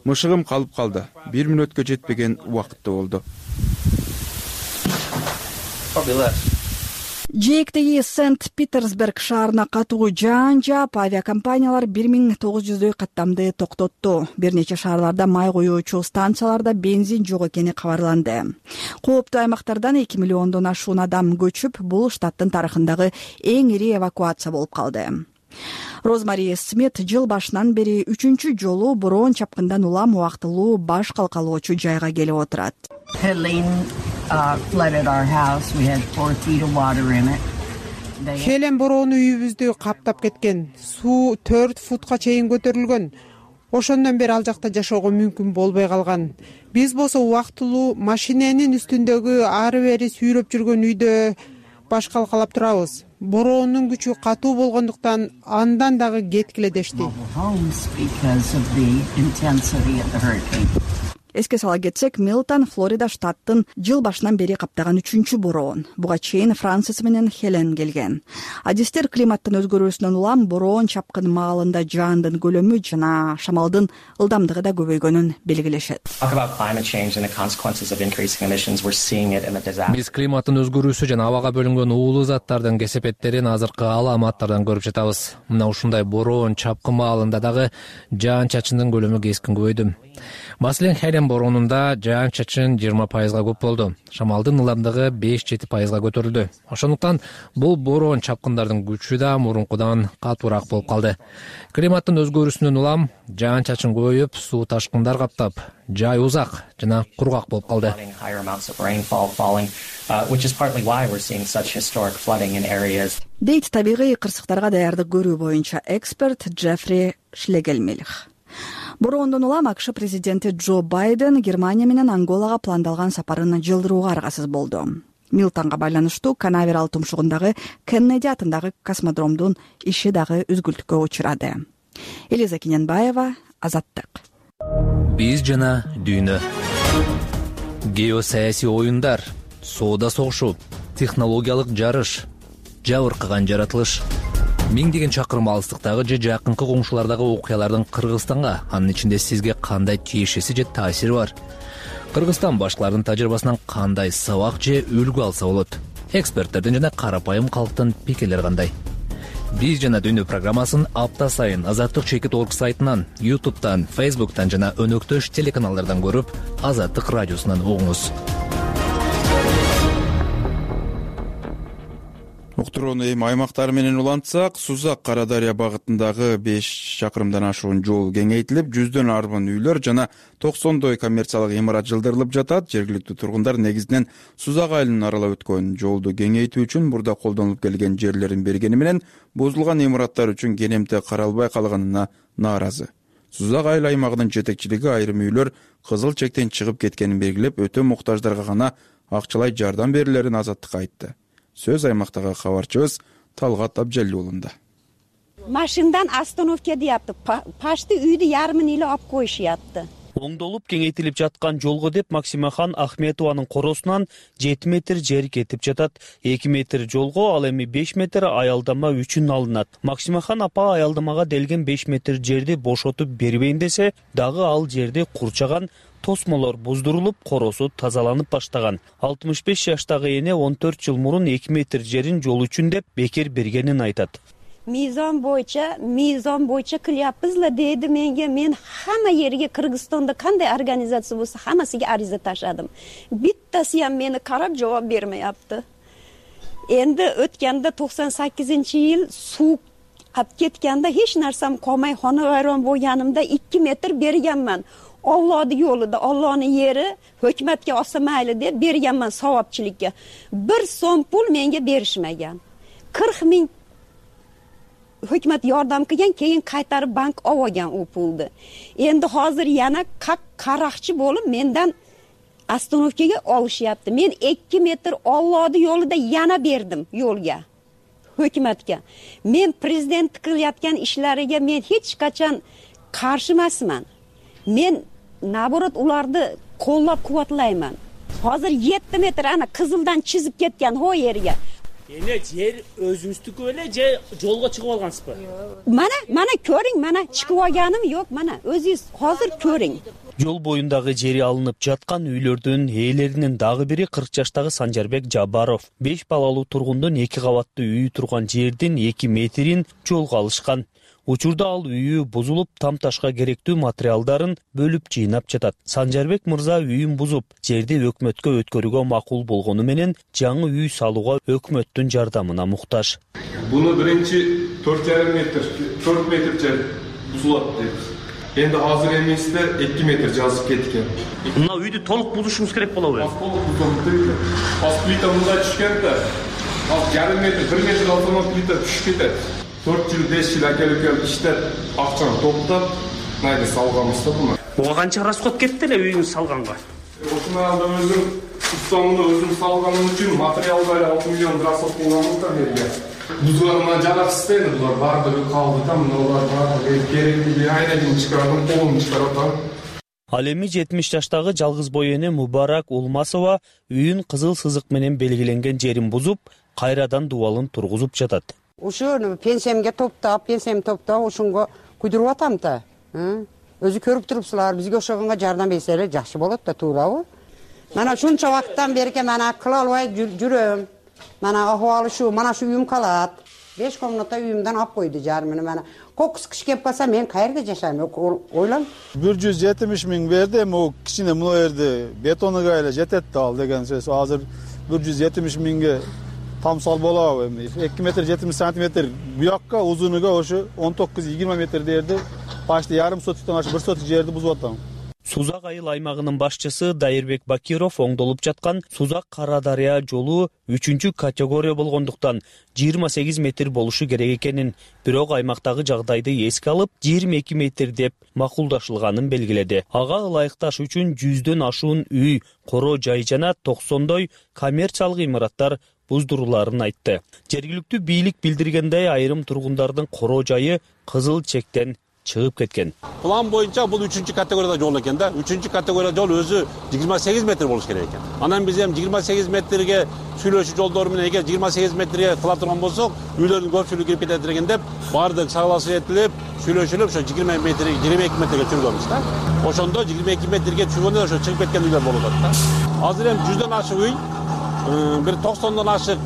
Мышыгым калып калды. 1 мүнөткө жетпеген убакытта болду. Жээктеги Сент-Питерсберг шаарына катуу жаан жаап, авиакомпаниялар 1900 каттамды токтотту. Бир нече шаарларда май куюучу станцияларда бензин жок экени кабарланды. Кооптуу аймактардан 2 миллиондон ашуун адам көчүп, бул штаттын тарыхындагы эң ири эвакуация болуп калды. Розмари Смит жыл башынан бери 3-чү жолу бороон чапкындан улам убактылуу баш калкалоочу жайга келип отурат. Хелен бороону үйүбүздү каптап кеткен. Суу 4 футка чейин көтөрүлгөн. Ошондон бери ал жакта жашоого мүмкүн болбой калган. Биз болсо убактылуу машиненин үстүндөгү ары бери сүйрөп жүргөн үйдө баш калкалап турабыз. Бороонун күчү катуу болгондуктан андан дагы кеткиле дешти. Эске сала кетсек, Милтон Флорида штаттын жыл башынан бери каптаган 3-чү бороон. Буга чейин Франсис менен Хелен келген. Адистер климаттын өзгөрүүсүнөн улам бороон чапкын маалында жаандын көлөмү жана шамалдын ылдамдыгы да көбөйгөнүн белгилешет. Биз климаттын өзгөрүүсү жана абага бөлүнгөн уулуу заттардын кесепеттерин азыркы аламаттардан көрүп жатабыз. Мына ушундай бороон чапкын маалында дагы жаан-чачындын көлөмү кескин көбөйдү. Маселен, Хелен бороонунда жаан-чачын 20%га көп болду. Шамалдын ылдамдыгы 5-7%га көтөрүлдү. Ошондуктан бул бороон чапкындардын күчү да мурункудан катуураак болуп калды. Климаттын өзгөрүүсүнөн улам жаан-чачын көбөйүп, суу ташкындар каптап, жай узак жана кургак болуп калды. Дейт табигый кырсыктарга даярдык көрүү боюнча эксперт Джеффри Шлегельмильх. Бороондон улам АКШ президенти Джо Байден Германия менен Анголага пландалган сапарын жылдырууга аргасыз болду. Милтонго байланыштуу Канаверал тумшугундагы Кеннеди атындагы космодромдун иши дагы үзгүлтүккө учурады. Элиза Кененбаева, Азаттык. Биз жана дүйнө. Геосаясий оюндар, соода согушу, технологиялык жарыш, жабыркаган жаратылыш. Миңдеген чакырым алыстыктагы же жакынкы коңшулардагы окуялардын Кыргызстанга, анын ичинде сизге кандай тиешеси же таасири бар? Кыргызстан башкалардын тажрыйбасынан кандай сабак же үлгү алса болот? Эксперттердин жана карапайым калктын пикирлери кандай? Биз жана дүйнө программасын апта сайын Азаттык.org сайтынан, YouTube'дан, Facebook'тан жана өнөктөш телеканалдардан көрүп, Азаттык радиосунан угуңуз. Уктурууну эми аймактар менен улантсак, Сузак Кара Дарыя багытындагы 5 чакырымдан ашуун жол кеңейтилип, 100дөн арбын үйлөр жана 90дой коммерциялык имарат жылдырылып жатат. Жергиликтүү тургундар негизинен Сузак айылын аралап өткөн жолду кеңейтүү үчүн мурда колдонулуп келген жерлерин бергени менен бузулган имараттар үчүн кенемте каралбай калганына нааразы. Сузак айыл аймагынын жетекчилиги айрым үйлөр кызыл чектен чыгып кеткенин белгилеп, өтө муктаждарга гана акчалай жардам берилерин Азаттыкка айтты. Сөз аймактагы кабарчыбыз Талгат Абжалиулунда. Машиндан остановка deyapti. Пашты үйдү ярымын эле алып коюшуятты. Оңдолуп кеңейтилип жаткан жолго деп Максимахан Ахметованын коросунан 7 метр жер кетип жатат. 2 метр жолго, ал эми 5 метр аялдама үчүн алынат. Максимахан апа аялдамага делген 5 метр жерди бошотуп бербейин десе, дагы ал жерде курчаган тосмолор буздурулуп, коросу тазаланып баштаган. 65 жаштагы эне 14 жыл мурун 2 метр жерин жол үчүн деп бекер бергенин айтат. Мизон боюнча кыляппызла дейди менге. Мен хамма жерге Кыргызстанда кандай организация болсо хаммасыга ариза ташадым. Биттасы ham мени карап жооп бермейапты. Энди өткөндө 98-yıl суу калып кеткенде эч нерсем калмай хонавайрон болгонумда 2 метр бергенмин. Allohning yo'lida, Allohning yeri, hukumatga olsa mayli deb berganman savobchilikka. 1 so'm pul menga berishmagan. 40 ming hukumat yordam qilgan, keyin qaytarib bank olgan u pulni. Endi hozir yana qaraqchi bo'lib mendan ostanovkaga olishyapti. Men 2 metr Allohning yo'lida yana berdim yo'lga. Hukumatga. Men prezident qilayotgan ishlariga men hech qachon qarshi emasman. Men naborot ularni qo'llab-quvvatlayman. Hozir 7 metr ana qizildan chizib ketgan ho yerga. Endi yer o'zingizniku ele, yo'lga chiqib olgansizmi? Mana ko'ring, mana chiqib olganim yo'q, mana o'zingiz hozir ko'ring. Жол боюндагы жери алынып жаткан үйлөрдүн ээлеринин дагы бири 40 жаштагы Санжарбек Жабаров. 5 балалуу тургундун 2 кабаттуу үйү турган жердин 2 метрин жолго алышкан. Учурда ал үйү бузулуп, тамташка керектүү материалдарын бөлүп жыйнап жатат. Санжарбек мырза үйүн бузуп, жерди өкмөткө өткөрүүгө макул болгону менен жаңы үй салууга өкмөттүн жардамына муктаж. Буну биринчи 4,5 метр, 4 метр жер бузулат деп. Endi hozir emesde 2 metr жазып ketken. Мына үйдү толук бузушуңуз керек болобу? Толук бузулду. Аз плита мында түшкөн да. Ал 1,5 метр, 1 метр алдынан плита түшүп кетет. 4 жыл, 5 жыл акелип иштеп, акчаны топтоп, найда салганбыз да буну. Ого канча расход кетти эле үйүңүз салганга? Ошондо өзүм устамды өзүм салганым үчүн материалдар 6 миллион расход кылганбыз да жерге. Бузуларына жараксыз дейли, булар баардыгы калды да, мыналар баардыгы керектүү айнагын чыгардым, колумду чыгарып атам. Ал эми 70 жаштагы жалгыз бой эне Мубарак Улмасова үйүн кызыл сызык менен белгиленген жерин бузуп, кайрадан дубалын тургузуп жатат. Ушуну пенсиямга топтоп, ушунга куйдуруп атам да. Өзү көрүп турупсузлар, бизге ошогонго жардам берселер жакшы болот да, туурабы? Мана ушунча убакыттан бери мана кыла албай жүрөм. Mana ahvalı şu, mana şu uyum kalat. 5 komnata uyumdan ap koydu jarmını mana. Kokus kış kep kalsa men kayerде жашайм, ойлан. 170 ming verdi ama o kişine bunu verdi. Betonu gayla jetetti al degen söz. Hazır 170 ming'e tam sal bola. 2 metre 70 santimetre bu yakka uzunuga oşu 19-20 metre derdi. Başta yarım sotikten aşıp 1 sotik жерди бузуп атам. Сузак айыл аймагынын башчысы Дайырбек Бакиров оңдолуп жаткан Сузак Кара Дарыя жолу 3 категория болгондуктан 28 метр болушу керек экенин, бирок аймактагы жагдайды эске алып 22 метр деп макулдашылганын белгиледи. Ага ылайыкташ үчүн 100дөн ашуун үй, коро жай жана 90дой коммерциялык имараттар буздуруларын айтты. Жергиликтүү бийлик билдиргендей айрым тургундардын коро жайы кызыл чектен чыгып кеткен. План боюнча бул 3 категорияда жол экен да. 3 категория жол өзү 28 метр болуш керек экен. Анан биз эми 28 метрге сүйлөшүү жолдору менен эгер 28 метрге кыла турган болсок, үйлөрдүн көпчүлүгү кирип кетет экен деп, баардык согласие этилип, сүйлөшүлүп, ошо 22 метрге чүргөнбүз да. Ошондо 22 метрге чүргөндө ошо чыгып кеткен үйлөр болуп атат да. Азыр эми 100дөн ашык үй, бир 90дон ашык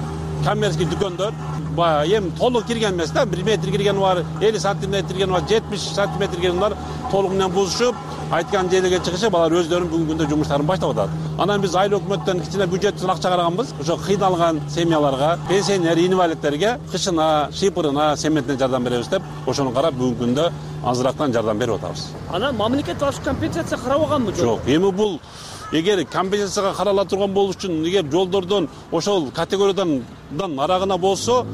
коммерческий дүкөндөр эми толук кирген эмес да, 1 метр кирген бар, 50 сантиметр кирген бар, 70 сантиметр кирген бар, толук менен бузушуп, айткан жерлерге чыгышып, алар өздөрүнүн бүгүнкү күндө жумуштарын баштап атат. Анан биз айыл өкмөттөн кичине бюджеттен акча караганбыз, ошо кыйналган семьяларга, пенсионер, инвалидтерге кышына, шыйпырына, семетине жардам беребиз деп, ошону карап бүгүнкү күндө азыраактан жардам берип атабыз. Анан мамлекет башка компенсация карабаганбы? Жок, эми бул эгер компенсацияга карала турган болуш үчүн, эгер жолдордон ошол категориядан арагына болсо,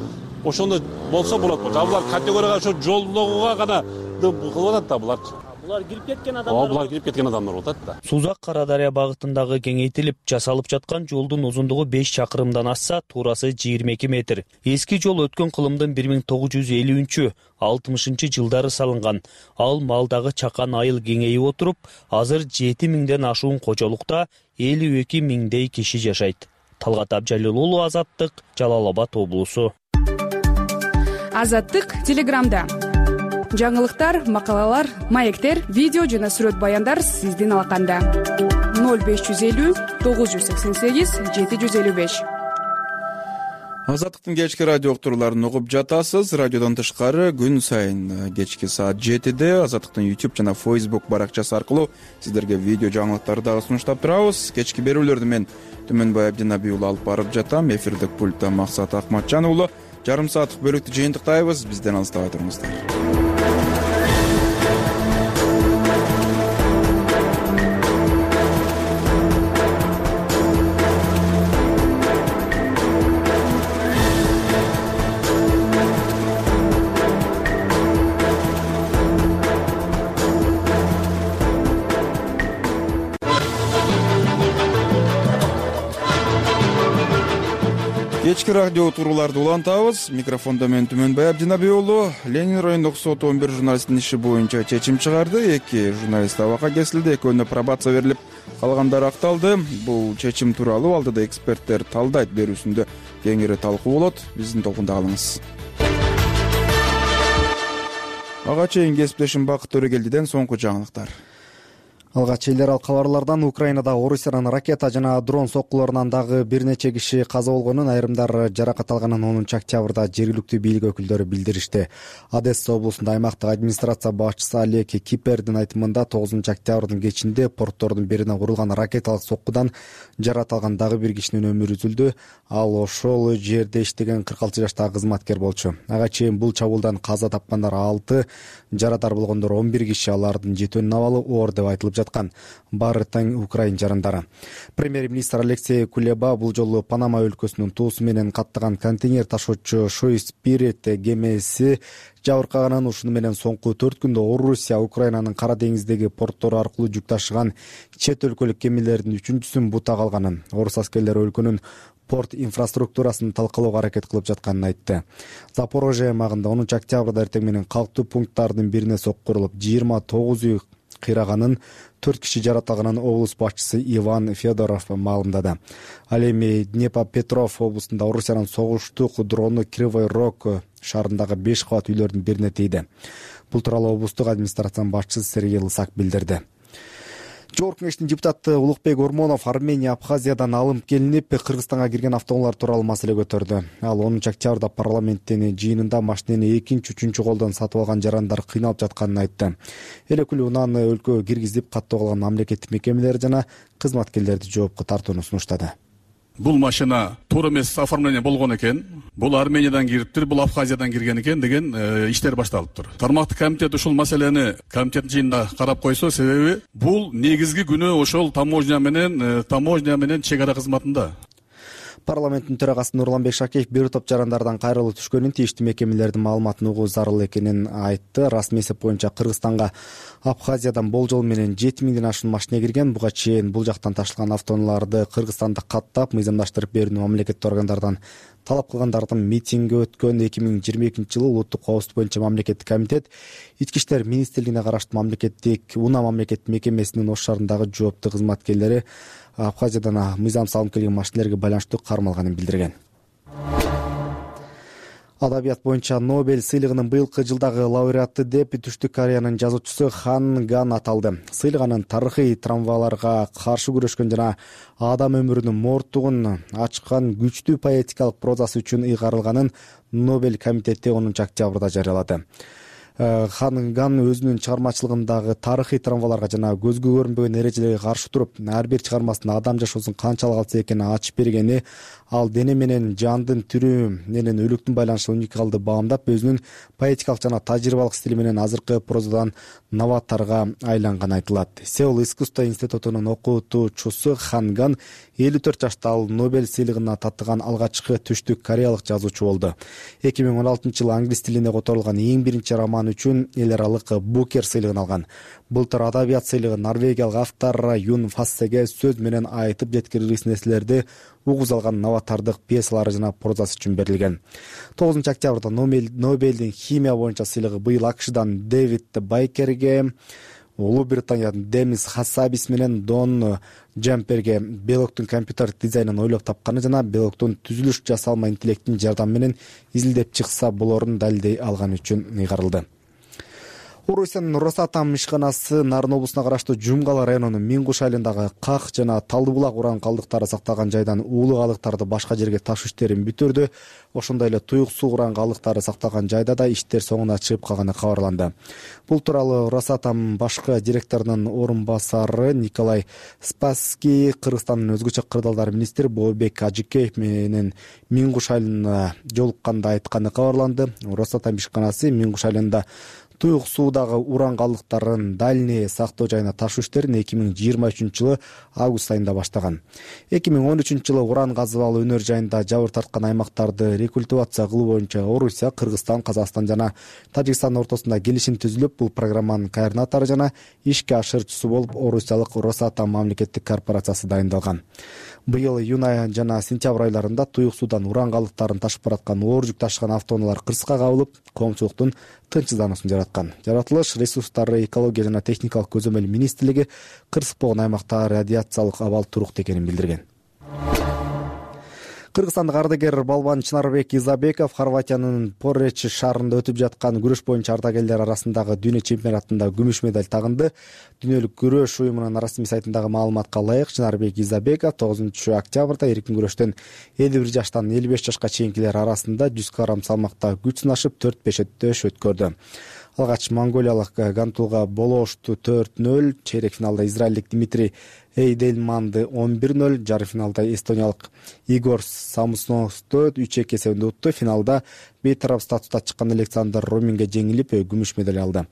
ошондо болсо болот. Булар категорияга ошо жолдогуга гана кылып атат да булар. Булар кирип кеткен адамдар. Булар кирип кеткен адамдар болот да. Сузак Кара Дарыя багытындагы кеңейтилип жасалып жаткан жолдун узундугу 5 чакырымдан асса, туурасы 22 метр. Эски жол өткөн кылымдын 1950-60 жылдары салынган. Ал малдагы чакан айыл кеңейип отуруп, азыр 7 миңден ашуун кожолукта 52 миңдей киши жашайт. Талгат Абжалил уулу, Азаттык, Жалал Абад облусу. Азаттык Телеграмда. Жаңылыктар, макалалар, маектер, видео жана сүрөт баяндар сиздин алаканда. 0550 988 755. Азаттыктын кечки радио уктурууларын угуп жатасыз. Радиодон тышкары күн сайын кечки саат 7-де Азаттыктын YouTube жана Facebook баракчасы аркылуу сиздерге видео жаңылыктарды дагы сунуштап турабыз. Кечки берүүлөрдү мен Түмөнбай Абдинабий уулу алып барып жатам. Эфирдик пультта Максат Акматжан уулу, жарым сааттык бөлүктү жыйынтыктайбыз. Бизден алыстабай туруңуздар. Кечки радио турууларды улантабыз. Микрофондо мен Түмөнбай Абдинабий уулу. Ленин райондук сот 11 журналисттин иши боюнча чечим чыгарды. 2 журналист абакка кесилди, экөөнүнө пробация берилип, калгандары акталды. Бул чечим тууралуу алдыда эксперттер талдайт берүүсүндө кеңири талкуу болот. Биздин толкунда калыңыз. Ага чейин кесиптешим Бакыт Төрөгелдиден соңку жаңылыктар. Алгач элдер ал кабарлардан Украинада Орусиянын ракета жана дрон соккуларынан дагы бир нече киши каза болгонун, айрымдар жаракат алганын 10 октябрда жергиликтүү бийлик өкүлдөрү билдиришти. Одесса облусунда аймактык администрация башчысы Олег Кипердин айтымында 9 октябрдын кечинде порттордун бирине курулган ракеталык соккудан жаракат алган дагы бир кишинин өмүрү үзүлдү. Ал ошол жерде иштеген 46 жаштагы кызматкер болчу. Ага чейин бул чабуулдан каза тапкандар 6, жарадар болгондор 11 киши, алардын жетөөнүн абалы оор деп айтылып жаткан. Баары тең Украин жарандары. Премьер-министр Алексей Кулеба бул жолу Панама өлкөсүнүн туусу менен каттаган контейнер ташуучу Шой Спирит кемеси жабыркаганын, ушуну менен соңку 4 күндө Орусия Украинанын Кара деңиздеги порттору аркылуу жүк ташыган чет өлкөлүк кемелердин 3-сүн бута калганын, орус аскерлери өлкөнүн порт инфраструктурасын талкалоого аракет кылып жатканын айтты. Запорожье аймагында 10 октябрда эртең менен калктуу пункттардын бирине соккурулуп 29 үй кыйраганын, 4 киши жаратылганын облус башчысы Иван Федоров маалымдады. Ал эми Днепропетровск облусунда Орусиянын согуштук дрону Кривой Рог шаарындагы 5 кабат үйлөрдүн бирине тийди. Бул тууралуу облустук администрациянын башчысы Сергей Лысак билдирди. Жогорку кеңештин депутаты Улукбек Ормонов Армения Абхазиядан алынып келинип Кыргызстанга кирген автоунаалар тууралуу маселе көтөрдү. Ал 10 октябрда парламенттин жыйынында машинени 2-3 колдон сатып алган жарандар кыйналып жатканын айтты. Эл өкүлү унааны өлкөгө киргизип каттоо кылган мамлекеттик мекемелер жана кызматкерлерди жоопко тартууну сунуштады. Бул машина туура эмес оформление болгон экен. Бул Армениядан кириптир, бул Абхазиядан кирген экен деген иштер башталыптыр. Тармактык комитет ушул маселени комитет жыйынында карап койсо, себеби бул негизги күнөө ошол таможня менен чек ара кызматында. Парламенттин төрагасы Нурланбек Шакеев бир топ жарандардан кайрылуу түшкөнүн, тийиштүү мекемелердин маалыматын угуу зарыл экенин айтты. Расмий эсеп боюнча Кыргызстанга Абхазиядан болжол менен 7000ден ашуун машина кирген. Буга чейин бул жактан ташылган автоунааларды Кыргызстанда каттап, мыйзамдаштырып берүүнү мамлекеттик органдардан талап кылгандардын митинги өткөн. 2022-жылы улуттук коопсуздук боюнча мамлекеттик комитет Ички иштер министрлигине караштуу УНА мамлекеттик мекемесинин Ош шаарындагы жооптуу кызматкерлери Абхазиядан мыйзамсыз алынып келген машинелерге байланыштуу кармалганын билдирген. Адабият боюнча Нобель сыйлыгынын быйылкы жылдагы лауреаты деп Түштүк Кореянын жазуучусу Хан Ган аталды. Сыйлык анын тарыхый травмаларга каршы күрөшкөн жана адам өмүрүнүн морттугун ачкан күчтүү поэтикалык прозасы үчүн ыйгарылганын Нобель комитети 10 октябрда жарыялады. Хан Ган өзүнүн чыгармачылыгындагы тарыхый травмаларга жана көзгө көрүнбөгөн эрежелерге каршы туруп, ар бир чыгармасында адам жашоосун канчалык алса экенин ачып бергени, ал дене менен жандын түрү менен өлүктүн байланышын уникалдуу баамдап, өзүнүн поэтикалык жана тажрыйбалык стили менен азыркы прозадан новаторго айланганы айтылат. Сеул искусство институтунун окутуучусу Хан Ган 54 жашта. Ал Нобель сыйлыгына татыган алгачкы түштүк кореялык жазуучу болду. 2016-жылы англис тилинде которулган эң биринчи роман үчүн эл аралык Букер сыйлыгын алган. Былтыр адабият сыйлыгы норвегиялык автор Юн Фассеге сөз менен айтып жеткиргис нерселерди угуз алган новатордук пьесалары жана прозасы үчүн берилген. 9 октябрда Нобелдин химия боюнча сыйлыгы быйыл АКШдан Дэвид Байкерге, Улуу Британиядан Демис Хасабис менен Дон Джамперге белоктун компьютер дизайнын ойлоп тапканы жана белоктун түзүлүш жасалма интеллекттин жардамы менен изилдеп чыкса болорун далилдей алганы үчүн ыйгарылды. Орусиянын Росатом ишканасы Нарын облусуна караштуу Жумгала районунун Мингуш айылындагы Как жана Талды булак уран калдыктары сакталган жайдан уулуу калдыктарды башка жерге ташуу иштерин бүтүрдү. Ошондой эле туюк суу уран калдыктары сакталган жайда да иштер соңуна чыгып калганы кабарланды. Бул тууралуу Росатом башкы директорунун орун басары Николай Спасский Кыргызстандын өзгөчө кырдаалдар министри Бообек Ажыкеев менен Мингуш айылына жолукканда айтканы кабарланды. Росатом ишканасы Мингуш айылында туюк суудагы уран калдыктарын дальний сактоо жайына ташуу иштерин 2023 жылы август айында баштаган. 2013 жылы уран казып алуу өнөр жайында жабыр тарткан аймактарды рекультивация кылуу боюнча Орусия, Кыргызстан, Казакстан жана Тажикстан ортосунда келишим түзүлүп, бул программанын координатору жана ишке ашырчусу болуп Орусиялык Росатом мамлекеттик корпорациясы дайындалган. Быйыл июнь жана сентябрь айларында туюк суудан уран калдыктарын ташып бараткан оор жүк ташыган автоунаалар кырсыкка кабылып, коомчулуктун тынчсыздануусун жараткан. Жаратылыш ресурстары экология жана техникалык көзөмөл министрлиги кырсык болгон аймакта радиациялык абал туруктуу экенин билдирген. Кыргызстандык ардагер балбан Чынарбек Изабеков Хорватиянын Поречи шаарында өтүп жаткан күрөш боюнча ардагерлер арасындагы дүйнө чемпионатында күмүш медаль тагынды. Дүйнөлүк күрөш уюмунун расмий сайтындагы маалыматка ылайык, Чынарбек Изабеков 9 октябрда эркин күрөштөн 51 жаштан 55 жашка чейинкилер арасында 100 кг салмакта күч сынашып 4-5 өттөш өткөрдү. Алгач монголиялык Гантулга Болошту 4-0, чейрек финалда израилдик Дмитрий Эйдельманды 11-0, жарым финалда эстониялык Игор Самусновду 3-2 эсебинде утту. Финалда бейтарап статуста чыккан Александр Роминге жеңилип күмүш медаль алды.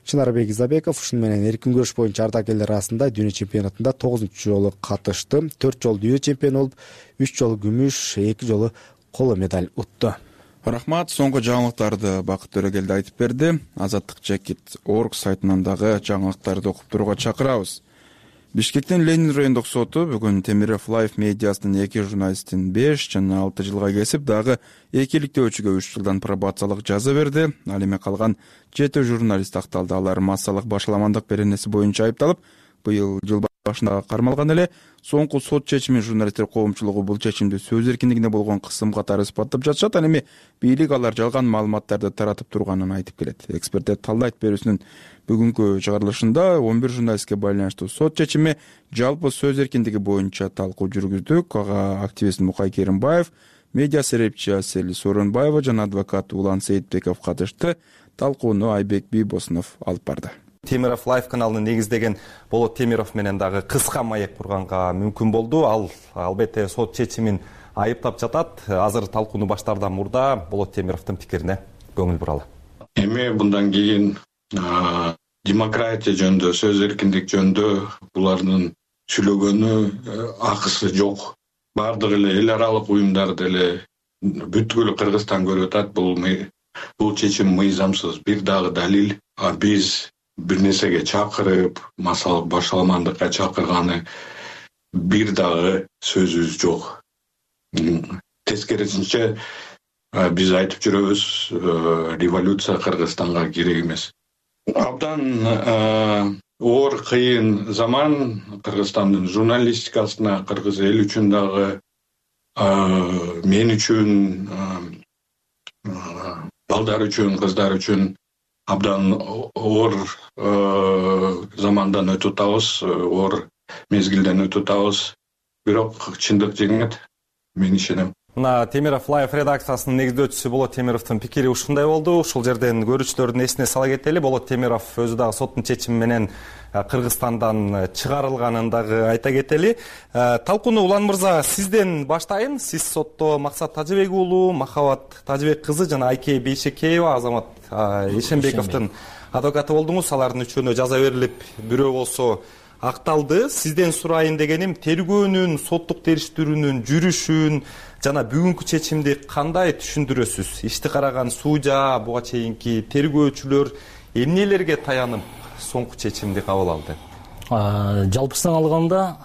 Чынарбек Изабеков ушуну менен эркин күрөш боюнча ардагерлер арасында дүйнө чемпионатында 9 жолу катышты. 4 жолу дүйнө чемпиону болуп, 3 жолу күмүш, 2 жолу коло медаль утту. Рахмат, соңку жаңылыктарды Бакыт Төрөгелди айтып берди. Азаттык.org сайтынан дагы жаңылыктарды окуп турууга чакырабыз. Бишкектин Ленин райондук соту бүгүн Темиров Лайф медиасынын 2 журналистин 5 жана 6 жылга кесип, дагы 2 иликтөөчүгө 3 жылдан пробациялык жаза берди. Ал эми калган 7 журналист акталды. Алар массалык башаламандык беренеси боюнча айыпталып, быйыл жыл башында кармалган эле. Соңку сот чечими журналисттер коомчулугу бул чечимди сөз эркиндигине болгон кысым катары испаттап жатышат. Ал эми бийлик алар жалган маалыматтарды таратып турганын айтып келет. Эксперттер талдайт берүүсүнүн бүгүнкү чыгарылышында 11 журналистке байланыштуу сот чечими жалпы сөз эркиндиги боюнча талкуу жүргүздүк. Ага активист Мукай Керимбаев, медиа серепчи Асель Сооронбаева жана адвокат Улан Сейитбеков катышты. Талкууну Айбек Бийбосунов алып барды. Темиров Лайф каналын негиздеген Болот Темиров менен дагы кыска маек курганга мүмкүн болду. Ал албетте сот чечимин айыптап жатат. Азыр талкууну баштаардан мурда Болот Темировдун пикирине көңүл буралы. Эми мындан кийин демократия жөнүндө, сөз эркиндик жөнүндө булардын сүйлөгөнү акысы жок. Бардык эле эл аралык уюмдар деле бүткүл Кыргызстан көрүп атат. Бул чечим мыйзамсыз. Бир дагы далил, биз бир нерсеге чакырып, массалык башаламандыкка чакырганы бир дагы сөзүбүз жок. Тескерисинче биз айтып жүрөбүз, революция Кыргызстанга керек эмес. Абдан оор кыйын заман Кыргызстандын журналистикасына, кыргыз эл үчүн дагы, мен үчүн, балдар үчүн, кыздар үчүн абдан оор замандан өтүп атабыз, оор мезгилден өтүп атабыз. Бирок чындык жеңет, мен ишенем. Мына Темиров Лайф редакциясынын негиздөөчүсү Болот Темировдун пикири ушундай болду. Ушул жерден көрүүчүлөрдүн эсине сала кетели. Болот Темиров өзү дагы соттун чечими менен Кыргызстандан чыгарылганын дагы айта кетели. Талкууну Улан мырза сизден баштайын. Сиз сотто Максат Тажыбек уулу, Махабат Тажыбек кызы жана Айке Бейшекеева, Азамат Эшенбековдун адвокаты болдуңуз. Алардын үчөөнө жаза берилип, бирөө болсо акталды. Сизден сурайын дегеним, тергөөнүн, соттук териштирүүнүн жүрүшүн жана бүгүнкү чечимди кандай түшүндүрөсүз? Ишти караган сужа, буга чейинки тергөөчүлөр эмнелерге таянып соңку чечимди кабыл алды? Жалпысынан алганда,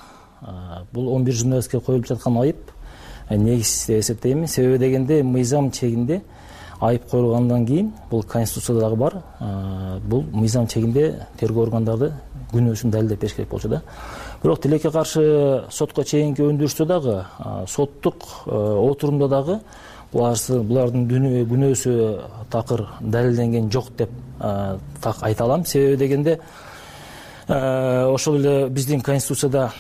бул 11 журналистке коюлуп жаткан айып негизсиз деп эсептейм. Себеби дегенде мыйзам чегинде айып коюлгандан кийин, бул конституцияда дагы бар, бул мыйзам чегинде тергөө органдары күнөөсүн далилдеп бериш керек болчу да. Бирок тилекке каршы сотко чейинки өндүрүштө дагы, соттук отурумда дагы булардын күнөөсү такыр далилденген жок деп так айта алам. Себеби дегенде ошол эле биздин конституцияда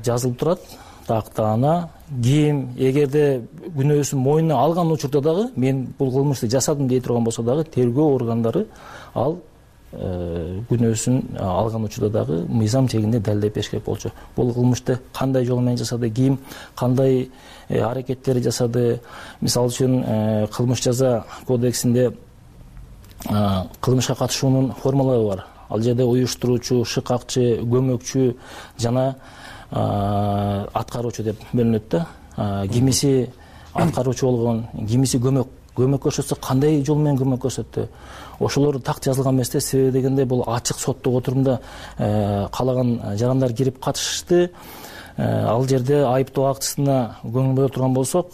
жазылып турат. Тактана ким эгерде күнөөсүн мойнуна алган учурда дагы мен бул кылмышты жасадым дей турган болсо дагы тергөө органдары ал күнөөсүн алган учурда дагы мыйзам чегинде далилдеп бериш керек болчу. Бул кылмышты кандай жол менен жасады, ким кандай аракеттер жасады. Мисалы үчүн кылмыш жаза кодексинде кылмышка катышуунун формалары бар. Ал жерде уюштуруучу, шыкакчы, көмөкчү жана аткаруучу деп бөлүнөт да. Кимиси аткаруучу болгон, кимиси көмөк көрсөтсө кандай жол менен көмөк көрсөттү. Ошолор так жазылган эмес да. Себеби дегенде бул ачык соттук отурумда каалаган жарандар кирип катышты. Ал жерде айыптоо актысына көңүл бура турган болсок,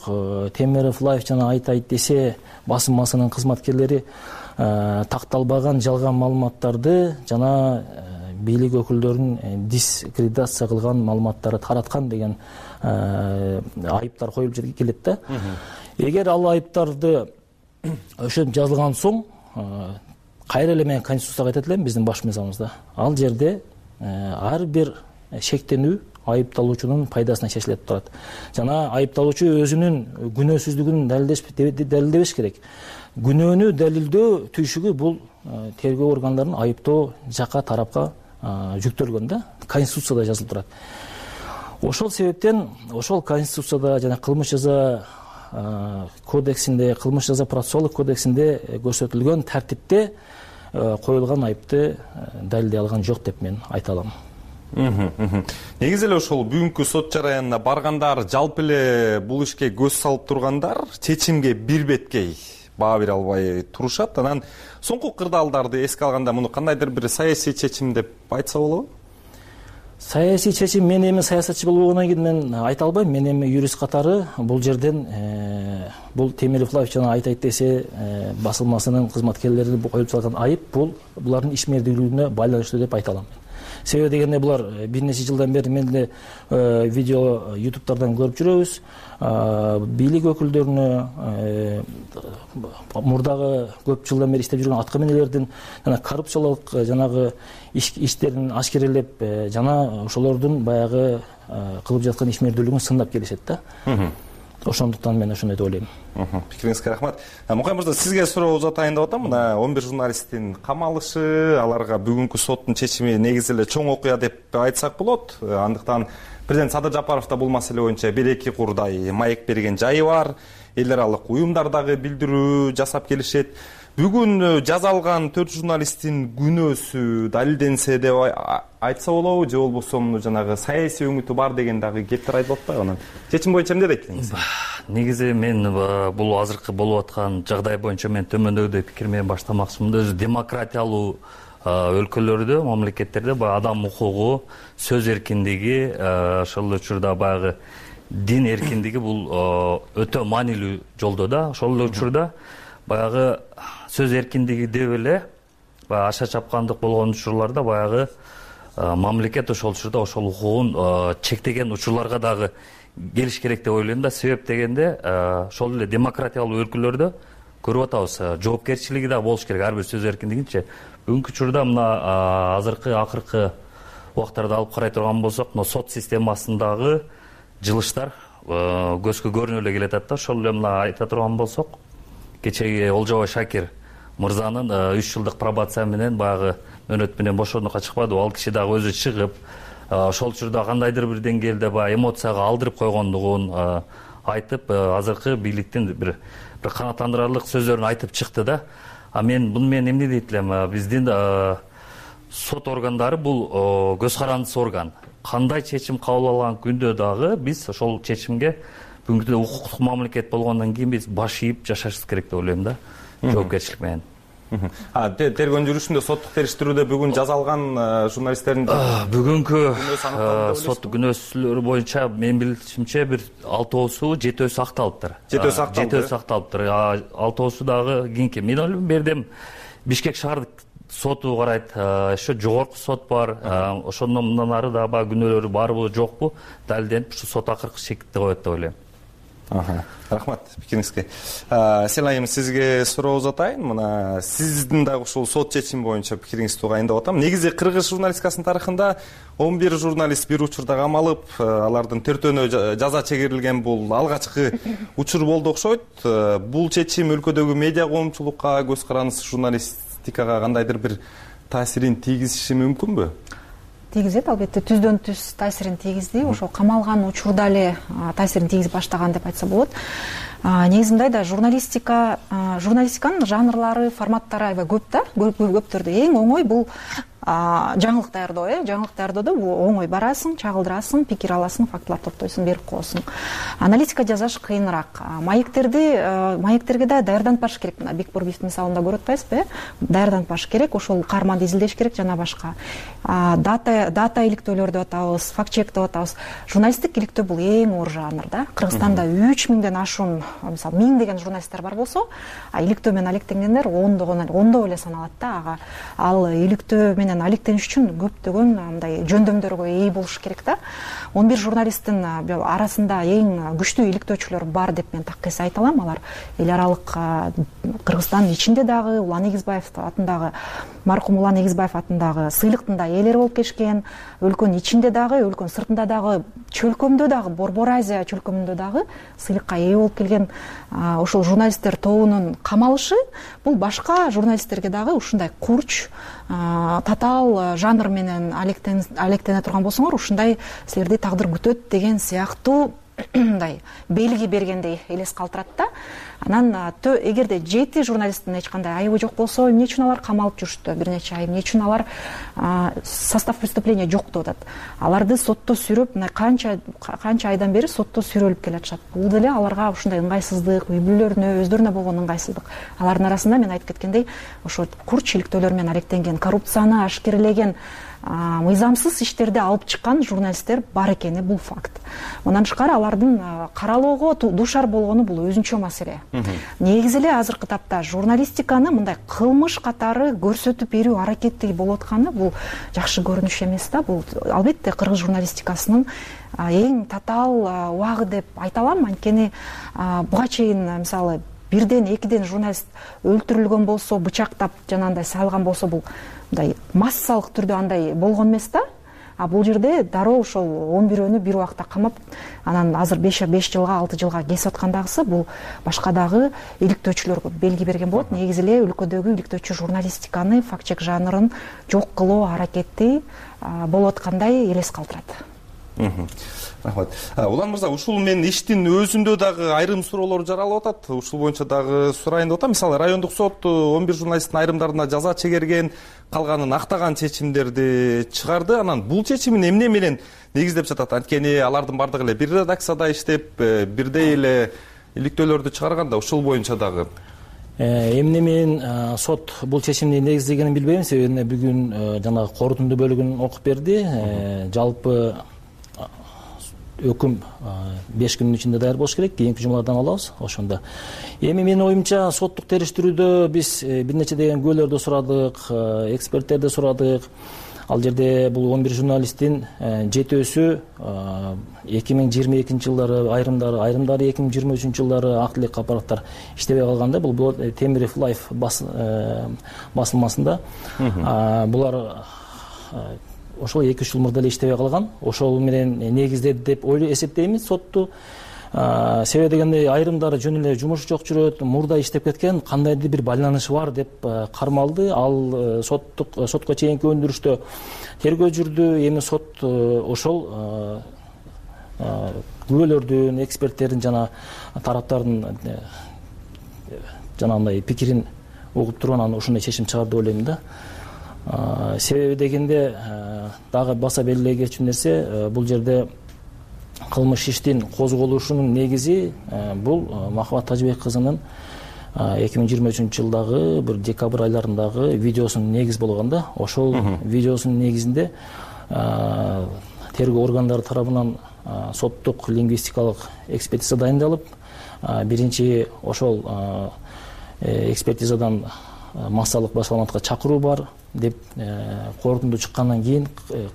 Темиров Лайф жана айтайт десе басылмасынын кызматкерлери такталбаган жалган маалыматтарды жана бийлик өкүлдөрүнүн дискредитация кылган маалыматтарды тараткан деген айыптар коюлуп келет да. Эгер ал айыптарды өшөп жазылган соң, кайра эле мен конституцияга айтат элем биздин баш мыйзамыбызда. Ал жерде ар бир шектенүү айыпталуучунун пайдасына чечилет турат. Жана айыпталуучу өзүнүн күнөөсүздүгүн далилдебеш керек. Күнөөнү далилдөө түйшүгү бул тергөө органдарынын айыптоо жака тарапка жүктөлгөн да. Конституцияда жазылып турат. Ошол себептен ошол конституцияда жана кылмыш жаза кодексинде, кылмыш жаза процессуалдык кодексинде көрсөтүлгөн тартипте коюлган айыпты далилдей алган жок деп мен айта алам. Негизи эле ошол бүгүнкү сот жараянына баргандар, жалпы эле бул ишке көз салып тургандар чечимге бир беткей баа бере албай турушат. Анан соңку кырдаалдарды эске алганда муну кандайдыр бир саясий чечим деп айтса болобу? Саясий чечим, мен эми саясатчы болгондон кийин мен айта албайм. Мен эми юрист катары бул жерден бул Темиров Лайф жана айтайт десе басылмасынын кызматкерлери коюп салган айып бул булардын ишмердүүлүгүнө байланыштуу деп айта алам. Себеби дегенде булар бир нече жылдан бери мен деле видео YouTube'тардан көрүп жүрөбүз. Бийлик өкүлдөрүнө мурдагы көп жылдан бери иштеп жүргөн аткаминерлердин жана коррупциялык жанагы иштерин ашкерелеп жана ошолордун баягы кылып жаткан ишмердүүлүгүн сындап келишет да. Ошондуктан мен ошондой деп ойлойм. Пикириңизге рахмат. Мукай мырза, сизге суроо узатайын деп атам. Мына 11 журналисттин камалышы, аларга бүгүнкү соттун чечими негизи эле чоң окуя деп айтсак болот. Андыктан президент Садыр Жапаров да бул маселе боюнча 1-2 курдай маек берген жайы бар. Эл аралык уюмдар дагы билдирүү жасап келишет. Бүгүн жазалган 4 журналисттин күнөөсү далилденсе деп айтса болобу, же болбосо жанагы саясий өңүтү бар деген дагы кептер айтылып атпайбы? Анан чечим боюнча эмне дейт экенсиз? Негизи мен бул азыркы болуп аткан жагдай боюнча мен төмөндөгүдөй пикир менен баштамакчымын. Өзү демократиялуу өлкөлөрдө, мамлекеттерде баягы адам укугу, сөз эркиндиги, ошол учурда баягы дин эркиндиги бул өтө маанилүү жолдо да. Ошол учурда баягы сөз эркиндиги деп эле баягы аша чапкандык болгон учурларда баягы мамлекет ошол учурда ошол укугун чектеген учурларга дагы келиш керек деп ойлойм да. Себеп дегенде ошол эле демократиялуу өлкөлөрдө көрүп атабыз, жоопкерчилиги да болуш керек ар бир сөз эркиндигинчи. Бүгүнкү учурда мына азыркы акыркы убактарда алып карай турган болсок, мына сот системасындагы жылыштар көзгө көрүнүп эле келатат да. Ошол эле мына айта турган болсок, кечеги Олжобой Шакир мырзанын 3 жылдык пробация менен баягы мөөнөт менен бошондукка чыкпадыбы. Ал киши дагы өзү чыгып, ошол учурда кандайдыр бир деңгээлде баягы эмоцияга алдырып койгондугун айтып, азыркы бийликтин бир канааттандырарлык сөздөрүн айтып чыкты да. Мен буну менен эмне дейт элем? Биздин сот органдары бул көз карандысыз орган. Кандай чечим кабыл алган күндө дагы биз ошол чечимге бүгүнкү укуктук мамлекет болгондон кийин биз баш ийип жашашыбыз керек деп ойлойм да. Жоопкерчилик менен. Тергөө жүрүшүндө соттук териштирүүдө бүгүн жазалган журналисттердин бүгүнкү сот күнөөсүлөрү боюнча мен билишимче бир 6оосу 7өсү акталыптыр. 7өсү акталыптыр. 6оосу дагы кийинки. Мен ойлойм бердим Бишкек шаардык соту карайт, еще жогорку сот бар. Ошондон ары да күнөөлөрү барбы жокпу далилденип ушу сот акыркы чекитти коет деп ойлойм. Рахмат пикириңизге. Селайым, сизге суроо узатайын. Мына сиздин дагы ушул сот чечими боюнча пикириңизди угайындап атам. Негизи кыргыз журналистикасынын тарыхында 11 журналист бир учурда камалып, алардын төртөөнө жаза чегирилген бул алгачкы учур болду окшойт. Бул чечим өлкөдөгү медиа коомчулукка, көз карандысыз журналистикага кандайдыр бир таасирин тийгизиши мүмкүнбү? Тийгизет, албетте, түздөн түз таасирин тийгизди. Ошо камалган учурда эле таасирин тийгизип баштаган деп айтса болот. Негизи мындай да, журналистиканын жанрлары, форматтары аябай көп да, көптөрдө. Эң оңой бул жаңылык даярдоо, жаңылык даярдоодо оңой барасың, чагылдырасың, пикир аласың, фактылар топтойсуң, берип коесуң. Аналитика жасаш кыйыныраак. Маектерге да даярданып баш керек. Мына Бекбурбиевдин мисалында көрүп атпайсызбы, даярданып баш керек, ошол каарманды изилдеш керек жана башка. Дата иликтөөлөр деп атабыз, факт-чек деп атабыз. Журналисттик иликтөө бул эң оор жанр да. Кыргызстанда 3000ден ашуун, мисалы 1000 деген журналисттер бар болсо, иликтөө менен алектенгендер ондо эле саналат да. Ал иликтөө менен алектениш үчүн көптөгөн мындай жөндөмдөргө ээ болуш керек да. 11 журналисттин арасында эң күчтүү иликтөөчүлөр бар деп мен таккес айта алам. Алар эл аралык Кыргызстандын ичинде дагы Улан Эгизбаев атындагы, маркум Улан Эгизбаев атындагы сыйлыктын да ээлери болуп келишкен. Өлкөнүн ичинде дагы, өлкөнүн сыртында дагы, чөлкөмдө дагы, Борбор Азия чөлкөмүндө дагы сыйлыкка ээ болуп келген ошол журналисттер тобунун камалышы бул башка журналисттерге дагы ушундай курч, татаал жанр менен алектене турган болсоңор, ушундай силерди тагдыр күтөт деген сыяктуу мындай белги бергендей элес калтырат да. Анан эгерде 7 журналисттин эч кандай айыбы жок болсо, эмне үчүн алар камалып жүрүштү бир нече ай, эмне үчүн алар состав преступления жок деп атат. Аларды сотто сүрөп, мына канча айдан бери сотто сүрөлүп келатышат. Бул деле аларга ушундай ыңгайсыздык, үй бүлөлөрүнө, өздөрүнө болгон ыңгайсыздык. Алардын арасында мен айтып кеткендей, ошо курч иликтөөлөр менен алектенген, коррупцияны ашкерелеген, мыйзамсыз иштерди алып чыккан журналисттер бар экени бул факт. Мындан тышкары алардын каралоого дуушар болгону бул өзүнчө маселе. Негизи эле азыркы тапта журналистиканы мындай кылмыш катары көрсөтүп берүү аракети болуп атканы бул жакшы көрүнүш эмес да. Бул албетте кыргыз журналистикасынын эң татаал убагы деп айта алам. Анткени буга чейин мисалы 1-2 журналист өлтүрүлгөн болсо, бычактап жанагындай салган болсо, бул мындай массалык түрдө андай болгон эмес да. Бул жерде дароо ошол 11-өөнү бир убакта камап, анан азыр 5 жылга, 6 жылга кесип аткандагысы бул башка дагы иликтөөчүлөргө белги берген болот. Негизи эле өлкөдөгү иликтөөчү журналистиканы, факт-чек жанрын жок кылуу аракети болуп аткандай элес калтырат. Рахмат. Улан мырза, ушул мен иштин өзүндө дагы айрым суроолор жаралып атат. Ушул боюнча дагы сурайын деп атам. Мисалы, райондук сот 11 журналисттин айрымдарына жаза чегерген, калганын актаган чечимдерди чыгарды. Анан бул чечимин эмне менен негиздеп жатат? Анткени алардын бардыгы эле бир редакцияда иштеп, бирдей эле иликтөөлөрдү чыгарганда, ушул боюнча дагы эмне менен сот бул чечимди негиздегенин билбейм. Себеби бүгүн жанагы корутунду бөлүгүн окуп берди. Жалпы өкүм 5 күнүн ичинде даяр болуш керек. Кийинки жумадан алабыз ошондо. Эми менин оюмча соттук териштирүүдө биз бир нече деген күбөлөрдү сурадык, эксперттерди сурадык. Ал жерде бул 11 журналисттин 7-өсү 2022 жылдары, айрымдары 2023 жылдары ак тилек аппараттар иштебей калганда, бул Темиров Лайф басылмасында булар ошол 2-3 жыл мурда эле иштебей калган. Ошол менен негиздеди деп эсептеймиз сотту. Себеби дегенде айрымдары жөн эле жумуш жок жүрөт, мурда иштеп кеткен, кандайдыр бир байланышы бар деп кармалды. Ал сотко чейинки өндүрүштө тергөө жүрдү. Эми сот ошол күбөлөрдүн, эксперттердин жана тараптардын жанагындай пикирин угуп туруп анан ушундай чечим чыгарды деп ойлойм да. Себеби дегенде дагы баса белгилей кетчү нерсе, бул жерде кылмыш иштин козголушунун негизи бул Махабат Тажыбек кызынын 2023 жылдагы бир декабрь айларындагы видеосунун негиз болгон да. Ошол видеосунун негизинде тергөө органдары тарабынан соттук лингвистикалык экспертиза дайындалып, биринчи ошол экспертизадан массалык башаламатка чакыруу бар. деп корутунду чыккандан кийин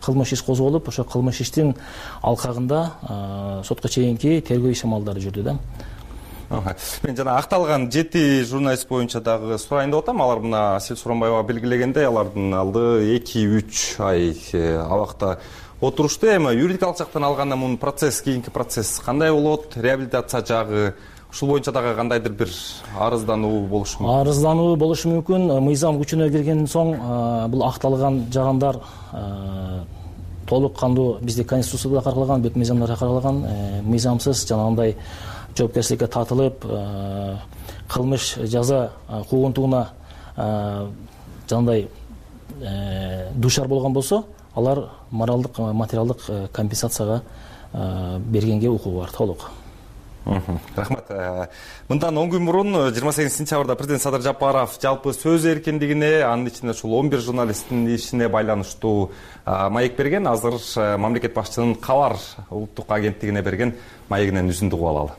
кылмыш иш козголуп, ошо кылмыш иштин алкагында сотко чейинки тергөө иш-амалдары жүрдү да. Мен жана акталган 7 журналист боюнча дагы сурайын деп атам. Алар мына Асель Суранбаева белгилегендей, алардын алды 2-3 ай абакта отурушту. Эми юридикалык жактан алганда мунун кийинки процесс кандай болот? Реабилитация жагы ушул боюнча дагы кандайдыр бир арыздануу болушу мүмкүн? Арыздануу болушу мүмкүн. Мыйзам күчүнө киргенден соң бул акталган жагандар толук кандуу бизде Конституцияда каралган, бүт мыйзамдарда каралган, мыйзамсыз жанагындай жоопкерчиликке тартылып, кылмыш жаза куугунтугуна жанагындай дуушар болгон болсо, алар моралдык, материалдык компенсацияга бергенге укугу бар толук. Рахмат. Мындан 10 күн мурун 28 сентябрда президент Садыр Жапаров жалпы сөз эркиндигине, анын ичинде ушул 11 журналисттин ишине байланыштуу маек берген. Азыр мамлекет башчынын Кабар улуттук агенттигине берген маегинен үзүндү угуп алалы.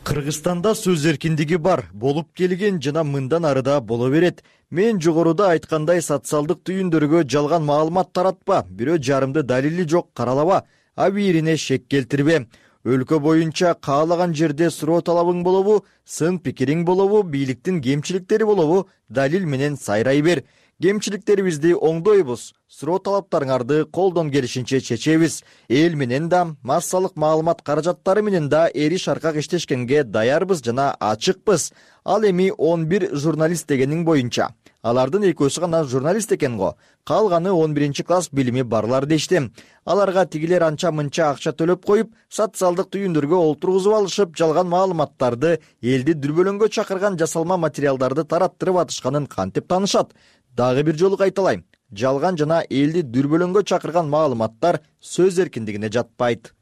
Кыргызстанда сөз эркиндиги бар, болуп келген жана мындан арыда боло берет. Мен жогоруда айткандай социалдык түйүндөргө жалган маалымат таратпа, бирөө жарымды далили жок каралаба, абийирине шек келтирбе. Өлкө боюнча каалаган жерде суроо талабың болобу, сын пикириң болобу, бийликтин кемчиликтери болобу, далил менен сайрай бер. Кемчиликтерибизди оңдойбуз, суроо талаптарыңарды колдон келишинче чечебиз. Эл менен да, массалык маалымат каражаттары менен да эри шаркак иштешкенге даярбыз жана ачыкпыз. Ал эми 11 журналист дегениң боюнча. Алардын экөөсү гана журналист экен го. Калганы 11 класс билими барлар дешти. Аларга тигилер анча-мынча акча төлөп коюп, социалдык түйүндөргө олтургузуп алышып, жалган маалыматтарды, элди дүрбөлөңгө чакырган жасалма материалдарды тараттырып атышканын кантип таанышат? Дагы бир жолу кайталайм. Жалган жана элди дүрбөлөңгө чакырган маалыматтар сөз эркиндигине жатпайт.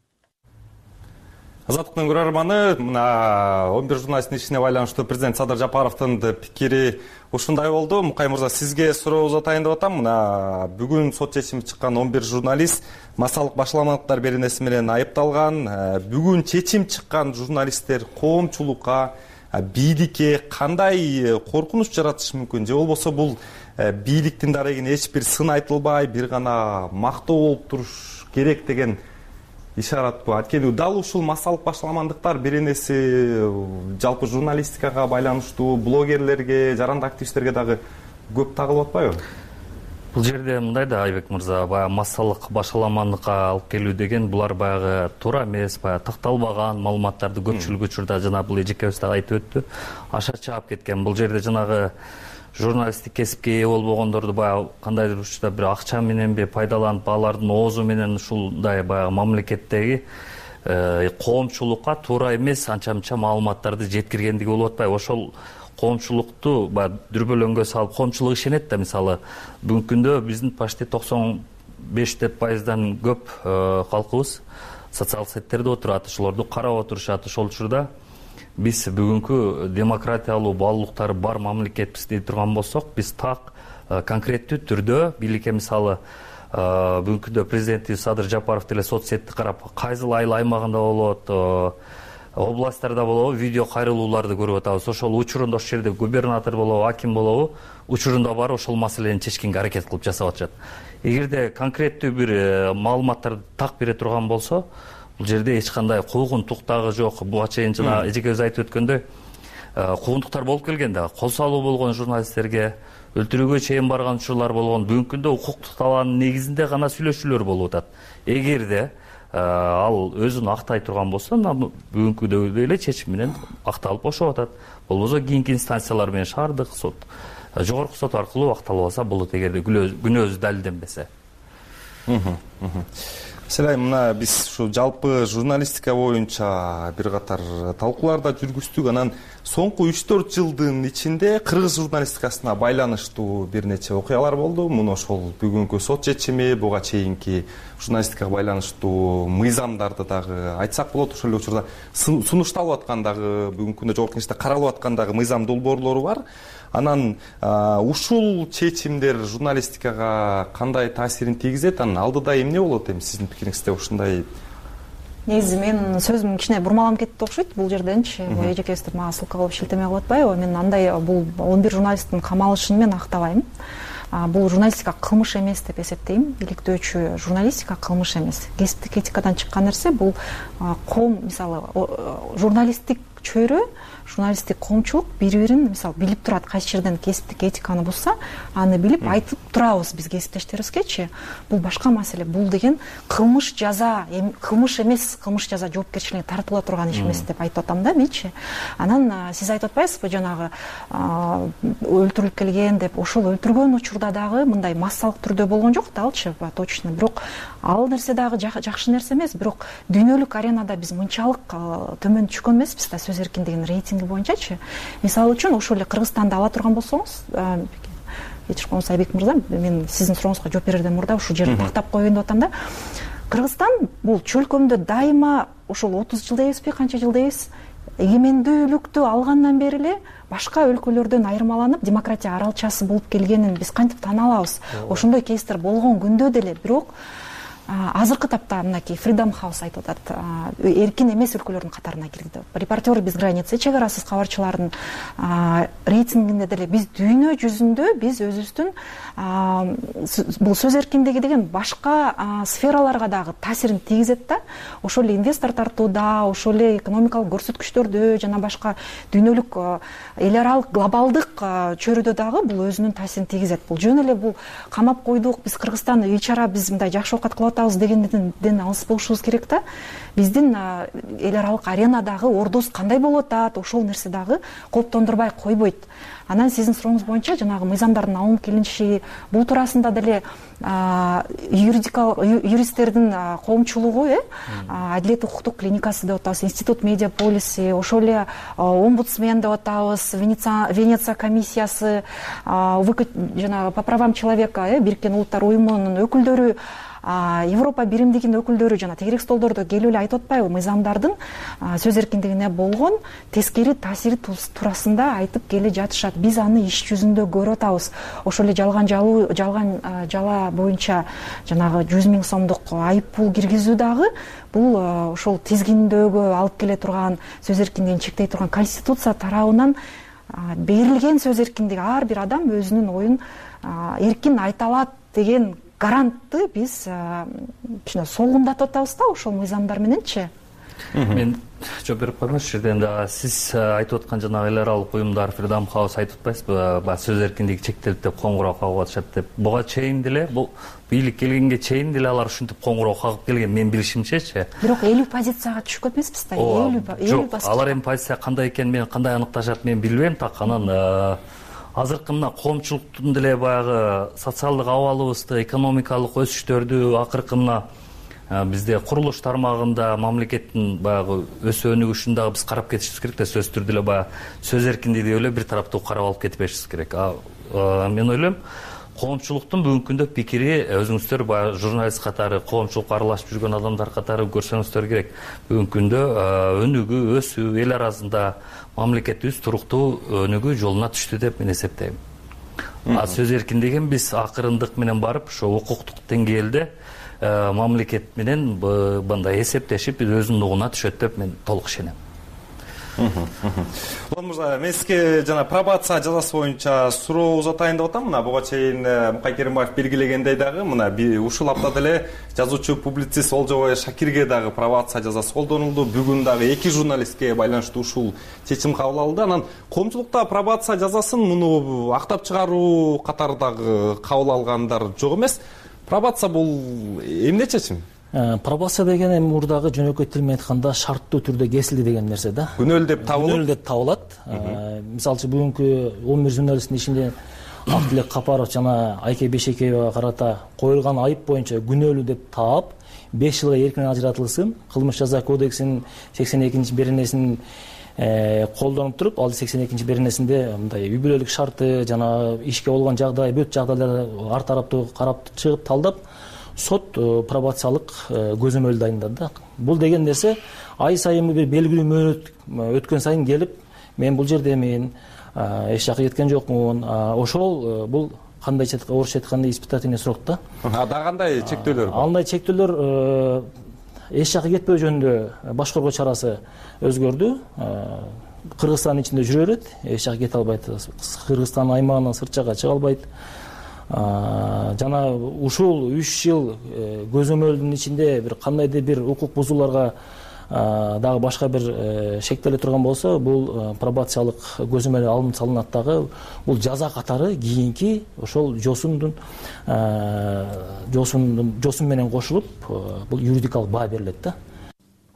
Азаттыктын көрөрманы, мына 11 журналисттин ишине байланыштуу президент Садыр Жапаровдун пикири ушундай болду. Мукай мырза, сизге суроо узатайын деп атам. Мына бүгүн сот чечими чыккан 11 журналист массалык башаламалыктар беренеси менен айыпталган. Бүгүн чечим чыккан журналисттер коомчулукка, бийликке кандай коркунуч жаратышы мүмкүн? Же болбосо бул бийликтин дарегине эч бир сын айтылбай, бир гана мактоо болуп туруш керек деген ишаратпы? Анткени дал ушул массалык башаламандыктар беренеси жалпы журналистикага байланыштуу блогерлерге, жаранды активисттерге дагы көп тагылып атпайбы? Бул жерде мындай да, Айбек мырза, баягы массалык башаламандыкка алып келүү деген булар баягы туура эмес, баягы такталбаган маалыматтарды көпчүлүк учурда жана бул эжекебиз да айтып өттү, аша чаап кеткен. Бул жерде жанагы журналисттик кесипке ээ болбогондорду баягы кандайдыр учурда бир акча мененби пайдаланып, алардын оозу менен ушундай баягы мамлекеттеги коомчулукка туура эмес анча-мынча маалыматтарды жеткиргендиги болуп атпайбы? Ошол коомчулукту баягы дүрбөлөңгө салып, коомчулук ишенет да, мисалы бүгүнкү күндө биздин почти 95% көп калкыбыз социалдык сеттерде отурат, ошолорду карап отурушат. Ошол учурда биз бүгүнкү демократиялуу баалуулуктары бар мамлекетпиз дей турган болсок, биз так конкреттүү түрдө бийликке, мисалы бүгүнкү күндө президентибиз Садыр Жапаров деле соц сетти карап, кайсыл айыл аймагында болот, областтарда болобу, видео кайрылууларды көрүп атабыз. Ошол учурунда ошол жерде губернатор болобу, аким болобу, учурунда барып ошол маселени чечкенге аракет кылып жасап атышат. Эгерде конкреттүү бир маалыматтарды так бере турган болсо, бул жерде эч кандай куугунтук дагы жок. Буга чейин жана эжекебиз айтып өткөндөй, куугунтуктар болуп келген да, кол салуу болгон журналисттерге, өлтүрүүгө чейин барган учурлар болгон. Бүгүнкү күндө укуктук талаанын негизинде гана сүйлөшүүлөр болуп атат. Эгерде ал өзүн актай турган болсо, бүгүнкүдөй эле чечим менен акталып бошоп атат. Болбосо кийинки инстанциялар менен шаардык сот, жогорку сот аркылуу акталбаса болот, эгерде күнөөсү далилденбесе. Селай, мына биз ушу жалпы журналистика боюнча бир катар талкууларда жүргүздүк. Анан соңку 3-4 жылдын ичинде кыргыз журналистикасына байланыштуу бир нече окуялар болду. Муну ошол бүгүнкү сот чечими, буга чейинки журналистикага байланыштуу мыйзамдарды дагы айтсак болот. Ошол эле учурда сунушталып аткан дагы, бүгүнкү күндө жогорку кеңеште каралып аткан дагы мыйзам долбоорлору бар. Анан ушул чечимдер журналистикага кандай таасирин тийгизет? Анан алдыда эмне болот эми сиздин пикириңизде ушундай? Негизи мен сөзүм кичине бурмаланып кетти окшойт бул жерденчи. Эжекебизди мага ссылка кылып шилтеме кылып атпайбы? Мен андай бул 11 журналисттин камалышын мен актабайм. бул журналистика кылмыш эмес деп эсептейм. Иликтөөчү журналистика кылмыш эмес. Кесиптик этикадан чыккан нерсе бул коом, мисалы журналисттик чөйрө, журналисттик коомчулук бири-бирин мисалы билип турат, кайсы жерден кесиптик этиканы бузса, аны билип айтып турабыз биз кесиптештерибизгечи. Бул башка маселе. Бул деген кылмыш жаза, кылмыш эмес, кылмыш жаза жоопкерчиликке тартыла турган иш эмес деп айтып атам да менчи. Анан сиз айтып атпайсызбы жанагы өлтүрүлүп келген деп, ошол өлтүргөн учурда дагы мындай массалык түрдө болгон жок да, алчы точно. Бирок ал нерсе дагы жакшы нерсе эмес, бирок дүйнөлүк аренада биз мынчалык төмөн түшкөн эмеспиз да, сөз эркиндигинин рейтинги боюнчачы. Мисалы үчүн ошол эле Кыргызстанды ала турган болсоңуз, кечирип коюңуз Айбек мырза, мен сиздин сурооңузга жооп берерден мурда ушул жерди тактап коеюн деп атам да. Кыргызстан бул чөлкөмдө дайыма ошол 30 жыл дейбизби, канча жыл дейбиз, эгемендүүлүктү алгандан бери эле башка өлкөлөрдөн айырмаланып демократия аралчасы болуп келгенин биз кантип тана алабыз. Ошондой кейстер болгон күндө деле, бирок азыркы тапта мынакей Freedom House айтып атат, эркин эмес өлкөлөрдүн катарына кирди. Репортеры без границ, чек арасыз кабарчылардын рейтингинде деле биз дүйнө жүзүндө биз өзүбүздүн бул сөз эркиндиги деген башка сфераларга дагы таасирин тийгизет да. Ошол эле инвестор тартууда, ошол эле экономикалык көрсөткүчтөрдө жана башка дүйнөлүк эл аралык глобалдык чөйрөдө дагы бул өзүнүн таасирин тийгизет. Бул жөн эле бул камап койдук, биз Кыргызстан үй чара, биз мындай жакшы оокат кылып дегенден алыс болушубуз керек да. Биздин эл аралык аренадагы ордубуз кандай болуп атат, ошол нерсе дагы кооптондурбай койбойт. Анан сиздин сурооңуз боюнча жанагы мыйзамдардын алынып келиниши, бул туурасында деле юристтердин коомчулугу, Адилет укуктук клиникасы деп атабыз, Институт медиаполиси, ошол эле омбудсмен деп атабыз, Венеция комиссиясы, жанагы по правам человека, Бириккен Улуттар уюмунун өкүлдөрү, Европа биримдигинин өкүлдөрү жана тегерек столдордо келип эле айтып атпайбы, мыйзамдардын сөз эркиндигине болгон тескери таасири туурасында айтып келе жатышат. Биз аны иш жүзүндө көрүп атабыз. Ошол эле жалган жала боюнча жанагы 100 000 сомдук айып пул киргизүү дагы бул ошол тизгиндөөгө алып келе турган, сөз эркиндигин чектей турган Конституция тарабынан берилген сөз эркиндиги, ар бир адам өзүнүн оюн эркин айта алат деген гарантты биз кичине солгундатып атабыз да ошол мыйзамдар мененчи. Мен жооп берип коеюн ушул жерден дагы. Сиз айтып аткан жанагы эл аралык уюмдар, Freedom House айтып атпайсызбы, баягы сөз эркиндиги чектелип деп коңгуроо кагып атышат деп. Буга чейин деле, бул бийлик келгенге чейин деле алар ушинтип коңгуроо кагып келген, мен билишимчечи. Бирок 50 позицияга түшүп кетпеспиз да, 50 баскыч. Алар эми позиция кандай экенин мен кандай аныкташат мен билбейм, так анан азыркы мына коомчулуктун деле баягы социалдык абалыбызды, экономикалык өсүштөрдү, акыркы мына бизде курулуш тармагында мамлекеттин баягы өсүп өнүгүшүн дагы биз карап кетишибиз керек да, сөзсүз түрдө эле баягы сөз эркиндиги эле бир тараптуу карап алып кетпешибиз керек. Мен ойлойм, коомчулуктун бүгүнкү күндө пикири, өзүңүздөр баягы журналист катары, коомчулукка аралашып жүргөн адамдар катары көрсөңүздөр керек. Бүгүнкү күндө өнүгүү, өсүү, эл арасында мамлекетибиз туруктуу өнүгүү жолуна түштү деп мен эсептейм. Сөз эркиндигин биз акырындык менен барып, ошо укуктук деңгээлде мамлекет менен мындай эсептешип өзүнүн угуна түшөт деп мен толук ишенем. Улан мырза, мен сизге жана пробация жазасы боюнча суроо узатайын деп атам. Мына буга чейин Мукай Керимбаев белгилегендей дагы мына ушул аптада эле жазуучу публицист Олжобай Шакирге дагы пробация жазасы колдонулду. Бүгүн дагы 2 журналистке байланыштуу ушул чечим кабыл алынды. Анан коомчулукта пробация жазасын муну актап чыгаруу катардагы кабыл алгандар жок эмес. Пробация бул эмне чечим? Пробация деген эми мурдагы жөнөкөй тил менен айтканда шарттуу түрдө кесилди деген нерсе да. Күнөөлүү деп табылат. Күнөөлүү деп табылат. Мисалы үчүн бүгүнкү 11 журналисттин ичинде Актилек Капаров жана Айке Бешекеевага карата коюлган айып боюнча күнөөлүү деп таап 5 жылга эркинен ажыратылсын, кылмыш жаза кодексинин 82-беренесин колдонуп туруп, ал 82-беренесинде мындай үй бүлөлүк шарты жана ишке болгон жагдай, бүт жагдайларды ар тараптуу карап чыгып талдап сот пробациялык көзөмөл дайындады да. Бул деген нерсе ай сайын бир белгилүү мөөнөт өткөн сайын келип, мен бул жерде мен эч жакка кеткен жокмун. Ошол бул кандайча орусча айтканда испытательный срок да. Дагы кандай чектөөлөр бар? Андай чектөөлөр эч жакка кетпөө жөнүндө баш коргоо чарасы өзгөрдү. Кыргызстандын ичинде жүрө берет, эч жакка кете албайт. Кыргызстан аймагынан сырт жакка чыга албайт. жана ушул 3 жыл көзөмөлдүн ичинде бир кандайдыр бир укук бузууларга дагы башка бир шектеле турган болсо, бул пробациялык көзөмөл алынып салынат дагы. Бул жаза катары кийинки ошол жосун менен кошулуп, бул юридикалык баа берилет да.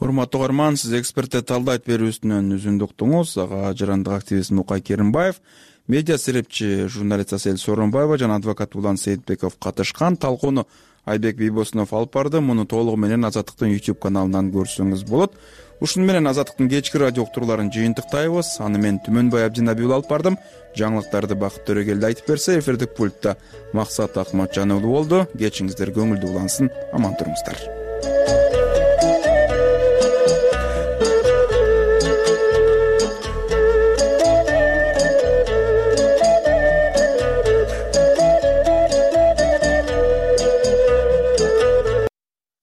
Урматтуу угарман, сиз экспертте талдайт берүүсүнөн үзүндү уктуңуз. Ага жарандык активист Мукай Керимбаев, медиа серепчи журналист Асель Сооронбаева жана адвокат Улан Сейитбеков катышкан. Талкууну Айбек Бийбосунов алып барды. Муну толугу менен Азаттыктын YouTube каналынан көрсөңүз болот. Ушуну менен Азаттыктын кечки радио уктурууларын жыйынтыктайбыз. Аны мен Түмөнбай Абдинабиул алып бардым. Жаңылыктарды Бакыт Төрөгелди айтып берсе, эфирдик пультта Максат Акматжан уулу болду. Кечиңиздер көңүлдүү улансын. Аман туруңуздар.